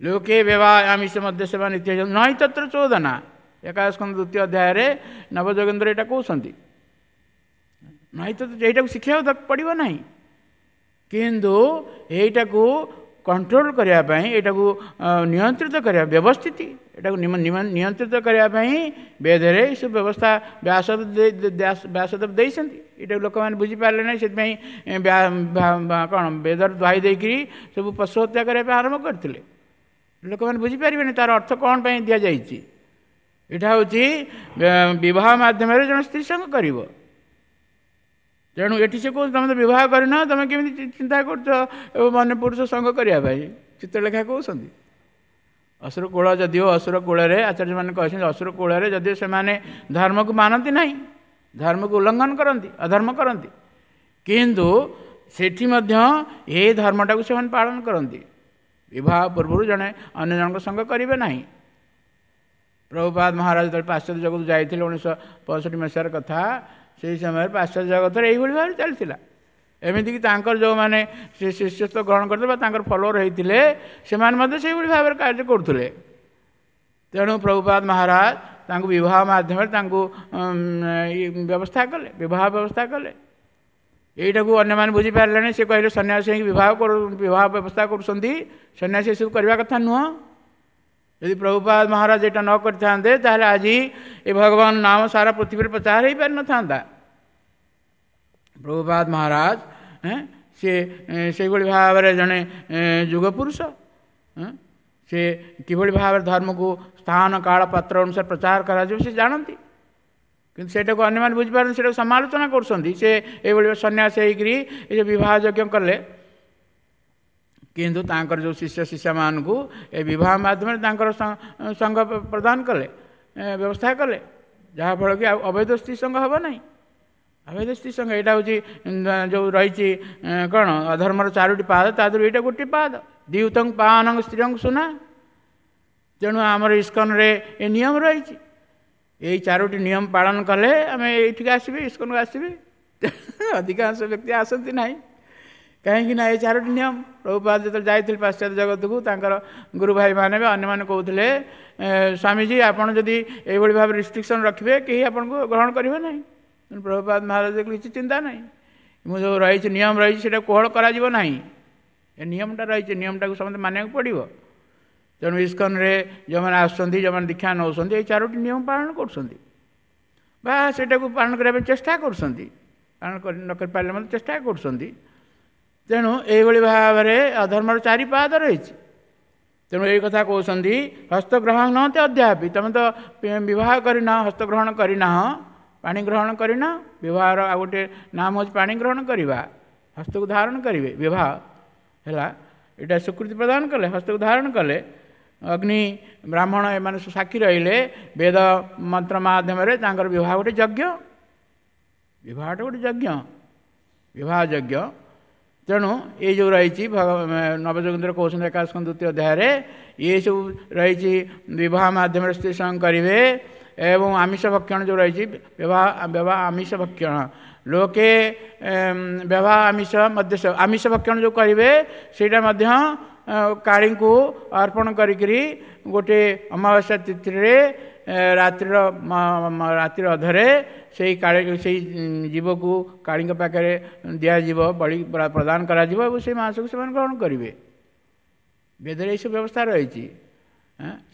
ଲୋକେ ବିବାହ ଆମିଷ ମଧ୍ୟ ସେବା ନିତ୍ୟ ନହିଁ ତତ୍ର ଚୋଦନା, ଏକାଦଶ ଦ୍ୱିତୀୟ ଅଧ୍ୟାୟରେ ନବଯୋଗେନ୍ଦ୍ର ଏଇଟା କହୁଛନ୍ତି। ନହିଁ ତ ଏଇଟାକୁ ଶିଖିବାକୁ ପଡ଼ିବ ନାହିଁ, କିନ୍ତୁ ଏଇଟାକୁ କଣ୍ଟ୍ରୋଲ କରିବା ପାଇଁ, ଏଇଟାକୁ ନିୟନ୍ତ୍ରିତ କରିବା, ବ୍ୟବସ୍ଥିତି ଏଟାକୁ ନିୟନ୍ତ୍ରିତ କରିବା ପାଇଁ ବେଦରେ ଏସବୁ ବ୍ୟବସ୍ଥା ବ୍ୟାସଦେବ ଦେଇଛନ୍ତି। ଏଇଟାକୁ ଲୋକମାନେ ବୁଝିପାରିଲେ ନାହିଁ, ସେଥିପାଇଁ କ'ଣ ବେଦର ଦ୍ୱାହି ଦେଇକରି ସବୁ ପଶୁ ହତ୍ୟା କରିବା ପାଇଁ ଆରମ୍ଭ କରିଥିଲେ। ଲୋକମାନେ ବୁଝିପାରିବେନି ତାର ଅର୍ଥ କ'ଣ ପାଇଁ ଦିଆଯାଇଛି। ଏଇଟା ହେଉଛି ବିବାହ ମାଧ୍ୟମରେ ଜଣେ ସ୍ତ୍ରୀ ସଙ୍ଗ କରିବ। ତେଣୁ ଏଠି ସେ କହୁଛି ତୁମେ ତ ବିବାହ କରିନ, ତୁମେ କେମିତି ଚିନ୍ତା କରୁଛ ଅନ୍ୟ ପୁରୁଷ ସଙ୍ଗ କରିବା ପାଇଁ? ଚିତ୍ରଲେଖା କହୁଛନ୍ତି ଅସୁର କୂଳ, ଯଦିଓ ଅସୁର କୂଳରେ ଆଚାର୍ଯ୍ୟମାନେ କହିଛନ୍ତି, ଅସୁର କୂଳରେ ଯଦିଓ ସେମାନେ ଧର୍ମକୁ ମାନନ୍ତି ନାହିଁ, ଧର୍ମକୁ ଉଲ୍ଲଙ୍ଘନ କରନ୍ତି, ଅଧର୍ମ କରନ୍ତି, କିନ୍ତୁ ସେଠି ମଧ୍ୟ ଏ ଧର୍ମଟାକୁ ସେମାନେ ପାଳନ କରନ୍ତି। ବିବାହ ପୂର୍ବରୁ ଜଣେ ଅନ୍ୟ ଜଣଙ୍କ ସଙ୍ଗ କରିବେ ନାହିଁ। ପ୍ରଭୁପାଦ ମହାରାଜ ଯେତେବେଳେ ପାଶ୍ଚାତ୍ୟ ଜଗତକୁ ଯାଇଥିଲେ 1965 ମସିହାର କଥା, ସେହି ସମୟରେ ପାଶ୍ଚାତ୍ୟ ଜଗତରେ ଏଇଭଳି ଭାବରେ ଚାଲିଥିଲା। ଏମିତିକି ତାଙ୍କର ଯେଉଁମାନେ ସେ ଶିଷ୍ୟତ୍ୱ ଗ୍ରହଣ କରିଥିଲେ ବା ତାଙ୍କର ଫଲୋଅର ହେଇଥିଲେ, ସେମାନେ ମଧ୍ୟ ସେଇଭଳି ଭାବରେ କାର୍ଯ୍ୟ କରୁଥିଲେ। ତେଣୁ ପ୍ରଭୁପାଦ ମହାରାଜ ତାଙ୍କୁ ବିବାହ ମାଧ୍ୟମରେ ତାଙ୍କୁ ବ୍ୟବସ୍ଥା କଲେ, ବିବାହ ବ୍ୟବସ୍ଥା କଲେ। ଏଇଟାକୁ ଅନ୍ୟମାନେ ବୁଝିପାରିଲେନି। ସେ କହିଲେ ସନ୍ନ୍ୟାସୀ ହେଇକି ବିବାହ ବ୍ୟବସ୍ଥା କରୁଛନ୍ତି, ସନ୍ନ୍ୟାସୀ ଏସବୁ କରିବା କଥା ନୁହଁ। ଯଦି ପ୍ରଭୁପାଦ ମହାରାଜ ଏଇଟା ନ କରିଥାନ୍ତେ, ତାହେଲେ ଆଜି ଏ ଭଗବାନ ନାମ ସାରା ପୃଥିବୀରେ ପ୍ରଚାର ହେଇପାରିନଥାନ୍ତା। ପ୍ରଭୁପାଦ ମହାରାଜ ସେ ସେଇଭଳି ଭାବରେ ଜଣେ ଯୁଗ ପୁରୁଷ। ସେ କିଭଳି ଭାବରେ ଧର୍ମକୁ ସ୍ଥାନ କାଳ ପାତ୍ର ଅନୁସାରେ ପ୍ରଚାର କରାଯିବ ସେ ଜାଣନ୍ତି, କିନ୍ତୁ ସେଇଟାକୁ ଅନ୍ୟମାନେ ବୁଝିପାରନ୍ତି, ସେଇଟାକୁ ସମାଲୋଚନା କରୁଛନ୍ତି। ସେ ଏଇଭଳି ସନ୍ନ୍ୟାସ ହେଇକରି ଏ ଯେଉଁ ବିବାହ ଯଜ୍ଞ କଲେ, କିନ୍ତୁ ତାଙ୍କର ଯେଉଁ ଶିଷ୍ୟ ଶିଷ୍ୟମାନଙ୍କୁ ଏ ବିବାହ ମାଧ୍ୟମରେ ତାଙ୍କର ସଙ୍ଗ ପ୍ରଦାନ କଲେ, ବ୍ୟବସ୍ଥା କଲେ, ଯାହାଫଳରେ କି ଆଉ ଅବୈଧ ସ୍ତ୍ରୀ ସଙ୍ଗ ହେବ ନାହିଁ। ଅବୈଧ ସ୍ତ୍ରୀ ସଙ୍ଗ ଏଇଟା ହେଉଛି ଯେଉଁ ରହିଛି କ'ଣ ଅଧର୍ମର 4ଟି ପାଦ, ତା ଦେହରୁ ଏଇଟା ଗୋଟିଏ ପାଦ, ଦ୍ୟୁତଂ ପାନଂ ସ୍ତ୍ରୀଂ ସୁନା। ତେଣୁ ଆମର ଇସ୍କନରେ ଏ ନିୟମ ରହିଛି। ଏଇ 4ଟି ନିୟମ ପାଳନ କଲେ ଆମେ ଏଇଠିକି ଆସିବେ, ଇସ୍କନକୁ ଆସିବେ। ଅଧିକାଂଶ ବ୍ୟକ୍ତି ଆସନ୍ତି ନାହିଁ, କାହିଁକି ନା ଏ 4ଟି ନିୟମ। ପ୍ରଭୁପାଦ ଯେତେବେଳେ ଯାଇଥିଲେ ପାଶ୍ଚାତ୍ୟ ଜଗତକୁ, ତାଙ୍କର ଗୁରୁ ଭାଇମାନେ ବି ଅନ୍ୟମାନେ କହୁଥିଲେ, ସ୍ୱାମୀଜୀ ଆପଣ ଯଦି ଏଇଭଳି ଭାବରେ ରିଷ୍ଟ୍ରିକ୍ସନ୍ ରଖିବେ, କେହି ଆପଣଙ୍କୁ ଗ୍ରହଣ କରିବେ ନାହିଁ। ତେଣୁ ପ୍ରଭୁପାଦ ମହାରାଜ କିଛି ଚିନ୍ତା ନାହିଁ, ମୁଁ ଯେଉଁ ରହିଛି ନିୟମ ରହିଛି ସେଇଟା କୋହଳ କରାଯିବ ନାହିଁ। ଏ ନିୟମଟା ରହିଛି, ନିୟମଟାକୁ ସମସ୍ତେ ମାନିବାକୁ ପଡ଼ିବ। ତେଣୁ ଇସ୍କନରେ ଯେଉଁମାନେ ଆସୁଛନ୍ତି, ଯେଉଁମାନେ ଦୀକ୍ଷା ନେଉଛନ୍ତି, ଏଇ 4ଟି ନିୟମ ପାଳନ କରୁଛନ୍ତି ବା ସେଇଟାକୁ ପାଳନ କରିବା ପାଇଁ ଚେଷ୍ଟା କରୁଛନ୍ତି, ପାଳନ କରି ନ କରିପାରିଲେ ମଧ୍ୟ ଚେଷ୍ଟା କରୁଛନ୍ତି। ତେଣୁ ଏଇଭଳି ଭାବରେ ଅଧର୍ମର 4 ପାଦ ରହିଛି। ତେଣୁ ଏଇ କଥା କହୁଛନ୍ତି ହସ୍ତଗ୍ରହଣ ନହନ୍ତି ଅଦ୍ୟାପି, ତୁମେ ତ ବିବାହ କରିନାହ, ହସ୍ତଗ୍ରହଣ କରିନାହ, ପାଣି ଗ୍ରହଣ କରିନାହ। ବିବାହର ଆଉ ଗୋଟିଏ ନାମ ହେଉଛି ପାଣି ଗ୍ରହଣ କରିବା, ହସ୍ତକୁ ଧାରଣ କରିବେ, ବିବାହ ହେଲା ଏଇଟା ସ୍ୱୀକୃତି ପ୍ରଦାନ କଲେ, ହସ୍ତକୁ ଧାରଣ କଲେ, ଅଗ୍ନି ବ୍ରାହ୍ମଣ ଏମାନେ ସବୁ ସାକ୍ଷୀ ରହିଲେ, ବେଦ ମନ୍ତ୍ର ମାଧ୍ୟମରେ ତାଙ୍କର ବିବାହ ଗୋଟେ ଯଜ୍ଞ, ବିବାହଟା ଗୋଟେ ଯଜ୍ଞ, ବିବାହ ଯଜ୍ଞ। ତେଣୁ ଏଇ ଯେଉଁ ରହିଛି ନବଯୋଗେନ୍ଦ୍ର କହୁଛନ୍ତି ଏକାଦଶ ଦ୍ୱିତୀୟ ଅଧ୍ୟାୟରେ, ଏ ସବୁ ରହିଛି ବିବାହ ମାଧ୍ୟମରେ ସ୍ତ୍ରୀ ସଙ୍ଗ କରିବେ ଏବଂ ଆମିଷ ଭକ୍ଷଣ ଯେଉଁ ରହିଛି ବିବାହ ଆମିଷ ଭକ୍ଷଣ ଲୋକେ ବିବାହ ଆମିଷ ମଧ୍ୟ ଆମିଷ ଭକ୍ଷଣ ଯେଉଁ କରିବେ ସେଇଟା ମଧ୍ୟ କାଳୀଙ୍କୁ ଅର୍ପଣ କରିକିରି ଗୋଟେ ଅମାବାସ୍ୟା ତିଥିରେ ରାତ୍ରିର ଅଧରେ ସେଇ କାଳୀ ସେଇ ଜୀବକୁ କାଳୀଙ୍କ ପାଖରେ ଦିଆଯିବ, ବଳି ପ୍ରଦାନ କରାଯିବ ଏବଂ ସେଇ ମାଂସକୁ ସେମାନେ ଗ୍ରହଣ କରିବେ। ବେଦରେ ଏଇସବୁ ବ୍ୟବସ୍ଥା ରହିଛି।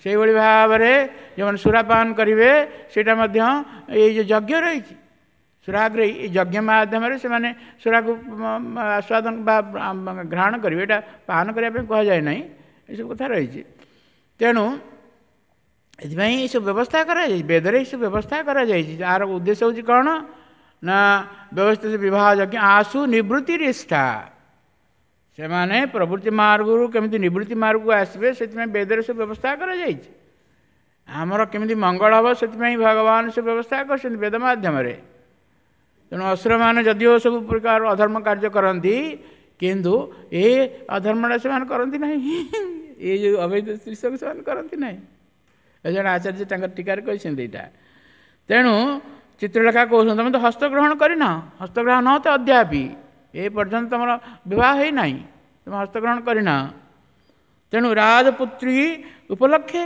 ସେଇଭଳି ଭାବରେ ଯେଉଁମାନେ ସୁରାପାନ କରିବେ ସେଇଟା ମଧ୍ୟ ଏଇ ଯେଉଁ ଯଜ୍ଞ ରହିଛି ସୁରାଗ୍ରହୀ, ଏଇ ଯଜ୍ଞ ମାଧ୍ୟମରେ ସେମାନେ ସୁରାକୁ ଆସ୍ୱାଦନ ବା ଗ୍ରହଣ କରିବେ। ଏଇଟା ପାନ କରିବା ପାଇଁ କୁହାଯାଏ ନାହିଁ, ଏସବୁ କଥା ରହିଛି। ତେଣୁ ଏଥିପାଇଁ ଏସବୁ ବ୍ୟବସ୍ଥା କରାଯାଇଛି, ବେଦରେ ଏସବୁ ବ୍ୟବସ୍ଥା କରାଯାଇଛି। ଯାହାର ଉଦ୍ଦେଶ୍ୟ ହେଉଛି କ'ଣ ନା ବ୍ୟବସ୍ଥିତ ବିବାହ ଯଜ୍ଞ ଆସୁ ନିବୃତ୍ତି ନିଷ୍ଠା, ସେମାନେ ପ୍ରବୃତ୍ତି ମାର୍ଗରୁ କେମିତି ନିବୃତ୍ତି ମାର୍ଗକୁ ଆସିବେ ସେଥିପାଇଁ ବେଦରେ ସବୁ ବ୍ୟବସ୍ଥା କରାଯାଇଛି। ଆମର କେମିତି ମଙ୍ଗଳ ହେବ ସେଥିପାଇଁ ଭଗବାନ ସେ ବ୍ୟବସ୍ଥା କରିଛନ୍ତି ବେଦ ମାଧ୍ୟମରେ। ତେଣୁ ଅସୁରମାନେ ଯଦିଓ ସବୁ ପ୍ରକାର ଅଧର୍ମ କାର୍ଯ୍ୟ କରନ୍ତି, କିନ୍ତୁ ଏ ଅଧର୍ମଟା ସେମାନେ କରନ୍ତି ନାହିଁ, ଏ ଯେଉଁ ଅବୈଧ ସ୍ତ୍ରୀ ସବୁ ସେମାନେ କରନ୍ତି ନାହିଁ। ଜଣେ ଆଚାର୍ଯ୍ୟ ତାଙ୍କର ଟୀକାରେ କହିଛନ୍ତି ଏଇଟା। ତେଣୁ ଚିତ୍ରଲେଖା କହୁଛନ୍ତି ତମେ ତ ହସ୍ତଗ୍ରହଣ କରିନ, ହସ୍ତଗ୍ରହଣ ନ ତ ଅଦ୍ୟାପି, ଏ ପର୍ଯ୍ୟନ୍ତ ତୁମର ବିବାହ ହେଇନାହିଁ, ତୁମେ ହସ୍ତଗ୍ରହଣ କରିନ। ତେଣୁ ରାଜପୁତ୍ରୀ ଉପଲକ୍ଷେ,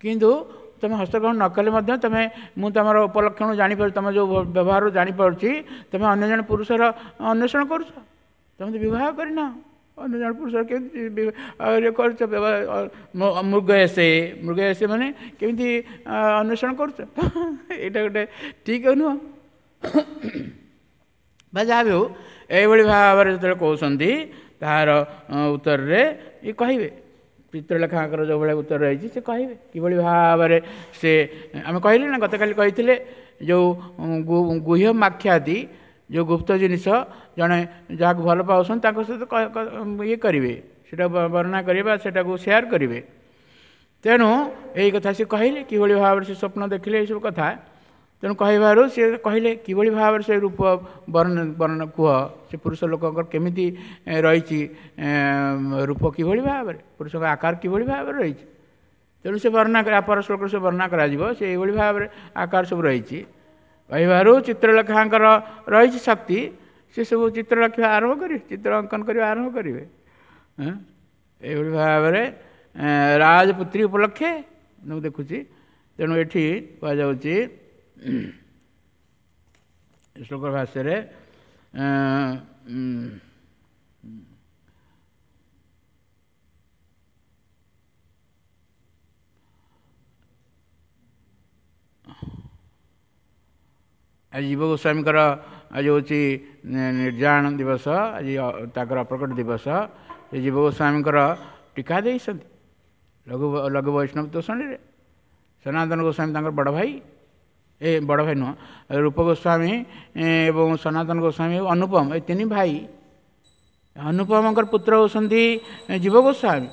କିନ୍ତୁ ତୁମେ ହସ୍ତଗ୍ରହଣ ନ କଲେ ମଧ୍ୟ ତୁମେ, ମୁଁ ତୁମର ଉପଲକ୍ଷଣ ଜାଣିପାରୁଛି, ତୁମ ଯେଉଁ ବ୍ୟବହାରରୁ ଜାଣିପାରୁଛି ତୁମେ ଅନ୍ୟ ଜଣେ ପୁରୁଷର ଅନ୍ୱେଷଣ କରୁଛ, ତୁମେ ତ ବିବାହ କରିନ, ଅନ୍ୟ ଜଣେ ପୁରୁଷର କେମିତି କରୁଛ ମୃଗ ଏସେ, ମୃଗ ଏସେ ମାନେ କେମିତି ଅନ୍ୱେଷଣ କରୁଛ, ଏଇଟା ଗୋଟେ ଠିକ୍ ନୁହଁ ବା ଯାହା ବି ହଉ। ଏଇଭଳି ଭାବରେ ଯେତେବେଳେ କହୁଛନ୍ତି ତାହାର ଉତ୍ତରରେ ଇଏ କହିବେ, ଚିତ୍ରଲେଖାଙ୍କର ଯେଉଁଭଳିଆ ଉତ୍ତର ରହିଛି ସେ କହିବେ କିଭଳି ଭାବରେ ସେ, ଆମେ କହିଲେ ନା ଗତକାଲି କହିଥିଲେ ଯେଉଁ ଗୁହ୍ୟ ମାଖ୍ୟାତି, ଯେଉଁ ଗୁପ୍ତ ଜିନିଷ ଜଣେ ଯାହାକୁ ଭଲ ପାଉଛନ୍ତି ତାଙ୍କ ସହିତ ଇଏ କରିବେ, ସେଇଟା ବର୍ଣ୍ଣନା କରିବେ ବା ସେଇଟାକୁ ସେୟାର କରିବେ। ତେଣୁ ଏଇ କଥା ସେ କହିଲେ କିଭଳି ଭାବରେ ସେ ସ୍ୱପ୍ନ ଦେଖିଲେ ଏଇସବୁ କଥା। ତେଣୁ କହିବାରୁ ସେ କହିଲେ କିଭଳି ଭାବରେ ସେ ରୂପ ବର୍ଣ୍ଣ କୁହ, ସେ ପୁରୁଷ ଲୋକଙ୍କର କେମିତି ରହିଛି ରୂପ, କିଭଳି ଭାବରେ ପୁରୁଷଙ୍କ ଆକାର କିଭଳି ଭାବରେ ରହିଛି। ତେଣୁ ସେ ବର୍ଣ୍ଣନା ପର ଶ୍ଲୋକରେ ସେ ବର୍ଣ୍ଣନା କରାଯିବ, ସେ ଏଇଭଳି ଭାବରେ ଆକାର ସବୁ ରହିଛି। କହିବାରୁ ଚିତ୍ରଲେଖାଙ୍କର ରହିଛି ଶକ୍ତି, ସେ ସବୁ ଚିତ୍ର ଲେଖିବା ଆରମ୍ଭ କରିବେ, ଚିତ୍ର ଅଙ୍କନ କରିବା ଆରମ୍ଭ କରିବେ। ଏଇଭଳି ଭାବରେ ରାଜପୁତ୍ରୀ ଉପଲକ୍ଷେ ମୁଁ ଦେଖୁଛି। ତେଣୁ ଏଠି କୁହାଯାଉଛି ଶ୍ଲୋକ ଭାଷ୍ୟରେ ଆଜି ଜୀବ ଗୋସ୍ୱାମୀଙ୍କର ଆଜି ହେଉଛି ନିର୍ଯାଣ ଦିବସ, ଆଜି ତାଙ୍କର ଅପ୍ରକଟ ଦିବସ। ସେ ଜୀବ ଗୋସ୍ୱାମୀଙ୍କର ଟୀକା ଦେଇଛନ୍ତି ଲଘୁ ବୈଷ୍ଣବ ତୋଷଣୀରେ। ସନାତନ ଗୋସ୍ୱାମୀ ତାଙ୍କର ବଡ଼ ଭାଇ, ଏ ବଡ଼ ଭାଇ ନୁହଁ, ରୂପ ଗୋସ୍ୱାମୀ ଏବଂ ସନାତନ ଗୋସ୍ୱାମୀ ଅନୁପମ, ଏ ତିନି ଭାଇ। ଅନୁପମଙ୍କର ପୁତ୍ର ହେଉଛନ୍ତି ଜୀବ ଗୋସ୍ୱାମୀ,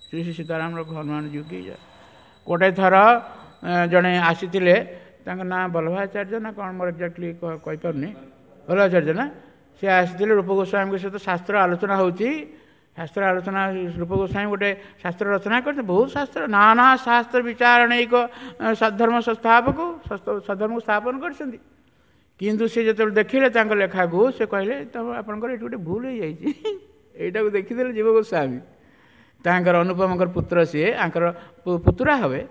ଶ୍ରୀ ଶ୍ରୀ ସୀତାରାମ ହନୁମାନ ଜୀ କି। ଗୋଟେ ଥର ଜଣେ ଆସିଥିଲେ, ତାଙ୍କ ନାଁ ବଲ୍ଲଭାଚାର୍ଯ୍ୟ ନା କ'ଣ ମୋର ଏକ୍ଜାକ୍ଟଲି କହିପାରୁନି, ବଲ୍ଲଭାଚାର୍ଯ୍ୟ ନା, ସେ ଆସିଥିଲେ ରୂପ ଗୋସ୍ୱାମୀଙ୍କ ସହିତ ଶାସ୍ତ୍ର ଆଲୋଚନା ହେଉଛି। ଶାସ୍ତ୍ର ଆଲୋଚନା, ରୂପ ଗୋସ୍ୱାମୀ ଗୋଟେ ଶାସ୍ତ୍ର ରଚନା କରିଛନ୍ତି, ବହୁତ ଶାସ୍ତ୍ର, ନାନା ଶାସ୍ତ୍ର ବିଚାରଣୈକ ସద్ధର୍ମ ସଂସ୍ଥାପକ, ସద్ధର୍ମକୁ ସ୍ଥାପନ କରିଛନ୍ତି। କିନ୍ତୁ ସେ ଯେତେବେଳେ ଦେଖିଲେ ତାଙ୍କ ଲେଖାକୁ, ସେ କହିଲେ ତମ ଆପଣଙ୍କର ଏଠି ଗୋଟେ ଭୁଲ ହେଇଯାଇଛି। ଏଇଟାକୁ ଦେଖିଦେଲେ ଜୀବ ଗୋସ୍ୱାମୀ, ତାଙ୍କର ଅନୁପମଙ୍କର ପୁତ୍ର ସିଏ, ଆଙ୍କର ପୁତୁରା ହେବେ।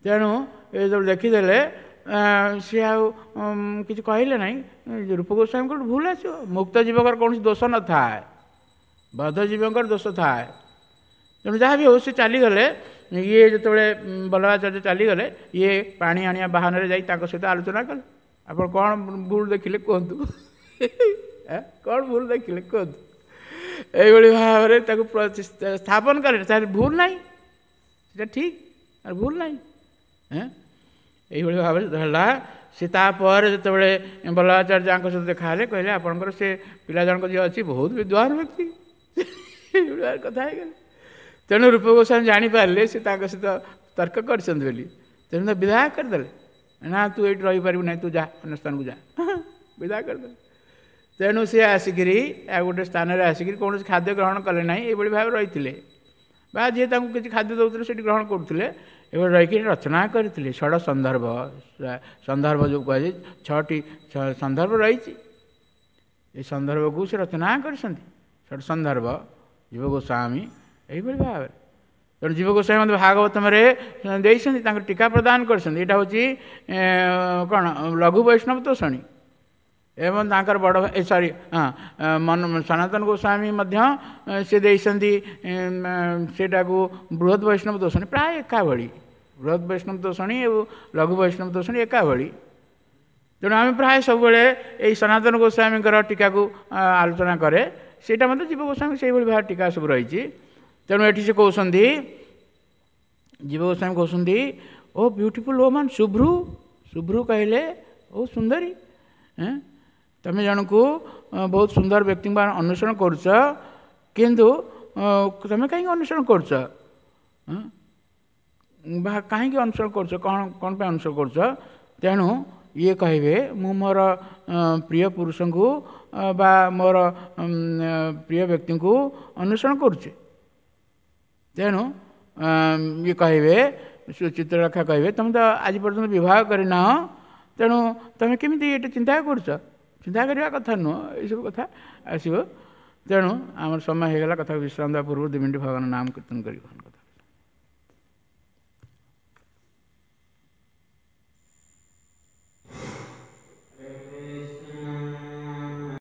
ତେଣୁ ଏ ଯେତେବେଳେ ଦେଖିଦେଲେ ସିଏ ଆଉ କିଛି କହିଲେ ନାହିଁ। ରୂପ ଗୋସ୍ୱାମୀଙ୍କର ଭୁଲ ଆସିବ, ମୁକ୍ତ ଜୀବଙ୍କର କୌଣସି ଦୋଷ ନଥାଏ, ବଦ୍ଧ ଜୀବଙ୍କର ଦୋଷ ଥାଏ। ତେଣୁ ଯାହା ବି ହଉ ସେ ଚାଲିଗଲେ। ଇଏ ଯେତେବେଳେ ବଲ୍ଲଭାଚାର୍ଯ୍ୟ ଚାଲିଗଲେ, ଇଏ ପାଣି ଆଣିବା ବାହାନାରେ ଯାଇ ତାଙ୍କ ସହିତ ଆଲୋଚନା କଲେ, ଆପଣ କ'ଣ ଭୁଲ ଦେଖିଲେ କୁହନ୍ତୁ, କ'ଣ ଭୁଲ ଦେଖିଲେ କୁହନ୍ତୁ। ଏଇଭଳି ଭାବରେ ତାକୁ ସ୍ଥାପନ କଲେ, ତାର ଭୁଲ ନାହିଁ, ସେଟା ଠିକ୍, ତାର ଭୁଲ ନାହିଁ। ଏଇଭଳି ଭାବରେ ହେଲା। ସେ ତାପରେ ଯେତେବେଳେ ବଲ୍ଲଭାଚାର୍ଯ୍ୟଙ୍କ ସହିତ ଦେଖାହେଲେ, କହିଲେ ଆପଣଙ୍କର ସେ ପିଲା ଜଣକ ଯିଏ ଅଛି ବହୁତ ବିଦ୍ୱାନ ବ୍ୟକ୍ତି, ଏଇଭଳି କଥା ହେଇଗଲେ। ତେଣୁ ରୂପ ଗୋସ୍ୱାମୀ ଜାଣିପାରିଲେ ସେ ତାଙ୍କ ସହିତ ତର୍କ କରିଛନ୍ତି ବୋଲି, ତେଣୁ ବିଦାୟ କରିଦେଲେ। ନା ତୁ ଏଇଠି ରହିପାରିବୁ ନାହିଁ, ତୁ ଯା ଅନ୍ୟ ସ୍ଥାନକୁ ଯା, ବିଦାୟ କରିଦେଲେ। ତେଣୁ ସେ ଆସିକିରି ଆଉ ଗୋଟେ ସ୍ଥାନରେ ଆସିକିରି କୌଣସି ଖାଦ୍ୟ ଗ୍ରହଣ କଲେ ନାହିଁ, ଏଇଭଳି ଭାବେ ରହିଥିଲେ, ବା ଯିଏ ତାଙ୍କୁ କିଛି ଖାଦ୍ୟ ଦେଉଥିଲେ ସେଠି ଗ୍ରହଣ କରୁଥିଲେ। ଏଭଳି ରହିକିରି ରଚନା କରିଥିଲେ ଷଡ଼ ସନ୍ଦର୍ଭ। ସନ୍ଦର୍ଭ ଯେଉଁ କୁହାଯାଏ, 6ଟି ସନ୍ଦର୍ଭ ରହିଛି, ଏ ସନ୍ଦର୍ଭକୁ ସେ ରଚନା କରିଛନ୍ତି ଷଡ଼ ସନ୍ଦର୍ଭ ଜୀବ ଗୋସ୍ୱାମୀ ଏହିଭଳି ଭାବରେ। ତେଣୁ ଜୀବ ଗୋସ୍ୱାମୀ ମଧ୍ୟ ଭାଗବତମରେ ଦେଇଛନ୍ତି, ତାଙ୍କର ଟୀକା ପ୍ରଦାନ କରିଛନ୍ତି। ଏଇଟା ହେଉଛି କ'ଣ? ଲଘୁ ବୈଷ୍ଣବ ତୋଷଣୀ। ଏବଂ ତାଙ୍କର ବଡ଼ ଏ ସରି, ହଁ, ମନ ସନାତନ ଗୋସ୍ୱାମୀ ମଧ୍ୟ ସେ ଦେଇଛନ୍ତି ସେଇଟାକୁ ବୃହତ ବୈଷ୍ଣବ ତୋଷଣୀ। ପ୍ରାୟ ଏକା ଭଳି, ବୃହତ ବୈଷ୍ଣବ ତୋଷଣୀ ଏବଂ ଲଘୁ ବୈଷ୍ଣବ ତୋଷଣୀ ଏକା ଭଳି। ତେଣୁ ଆମେ ପ୍ରାୟ ସବୁବେଳେ ଏଇ ସନାତନ ଗୋସ୍ୱାମୀଙ୍କର ଟୀକାକୁ ଆଲୋଚନା କରେ। ସେଇଟା ମଧ୍ୟ ଜୀବ ଗୋସ୍ୱାମୀ ସେଇଭଳି ଭାବେ ଟୀକା ସବୁ ରହିଛି। ତେଣୁ ଏଠି ସେ କହୁଛନ୍ତି, ଜୀବ ଗୋସ୍ୱାମୀ କହୁଛନ୍ତି, ଓ ବ୍ୟୁଟିଫୁଲ୍ ଓମାନ ଶୁଭ୍ରୁ। ଶୁଭ୍ରୁ କହିଲେ ଓ ସୁନ୍ଦରୀ, ତମେ ଜଣକୁ ବହୁତ ସୁନ୍ଦର ବ୍ୟକ୍ତିଙ୍କୁ ଅନ୍ୱେଷଣ କରୁଛ, କିନ୍ତୁ ତମେ କାହିଁକି ଅନ୍ୱେଷଣ କରୁଛ ବା କାହିଁକି ଅନୁସରଣ କରୁଛ, କ'ଣ କ'ଣ ପାଇଁ ଅନୁସରଣ କରୁଛ? ତେଣୁ ଇଏ କହିବେ, ମୁଁ ମୋର ପ୍ରିୟ ପୁରୁଷଙ୍କୁ ବା ମୋର ପ୍ରିୟ ବ୍ୟକ୍ତିଙ୍କୁ ଅନ୍ୱେଷଣ କରୁଛି। ତେଣୁ ଇଏ କହିବେ, ଚିତ୍ରଲେଖା କହିବେ, ତୁମେ ତ ଆଜି ପର୍ଯ୍ୟନ୍ତ ବିବାହ କରିନାହ, ତେଣୁ ତୁମେ କେମିତି ଏଇଟା ଚିନ୍ତା କରୁଛ? ଚିନ୍ତା କରିବା କଥା ନୁହଁ, ଏଇସବୁ କଥା ଆସିବ। ତେଣୁ ଆମର ସମୟ ହେଇଗଲା। କଥାକୁ ବିଶ୍ରାମ ଦେବା ପୂର୍ବରୁ 2 ମିନିଟ୍ ଭଗବାନ ନାମ କୀର୍ତ୍ତନ କରିବ।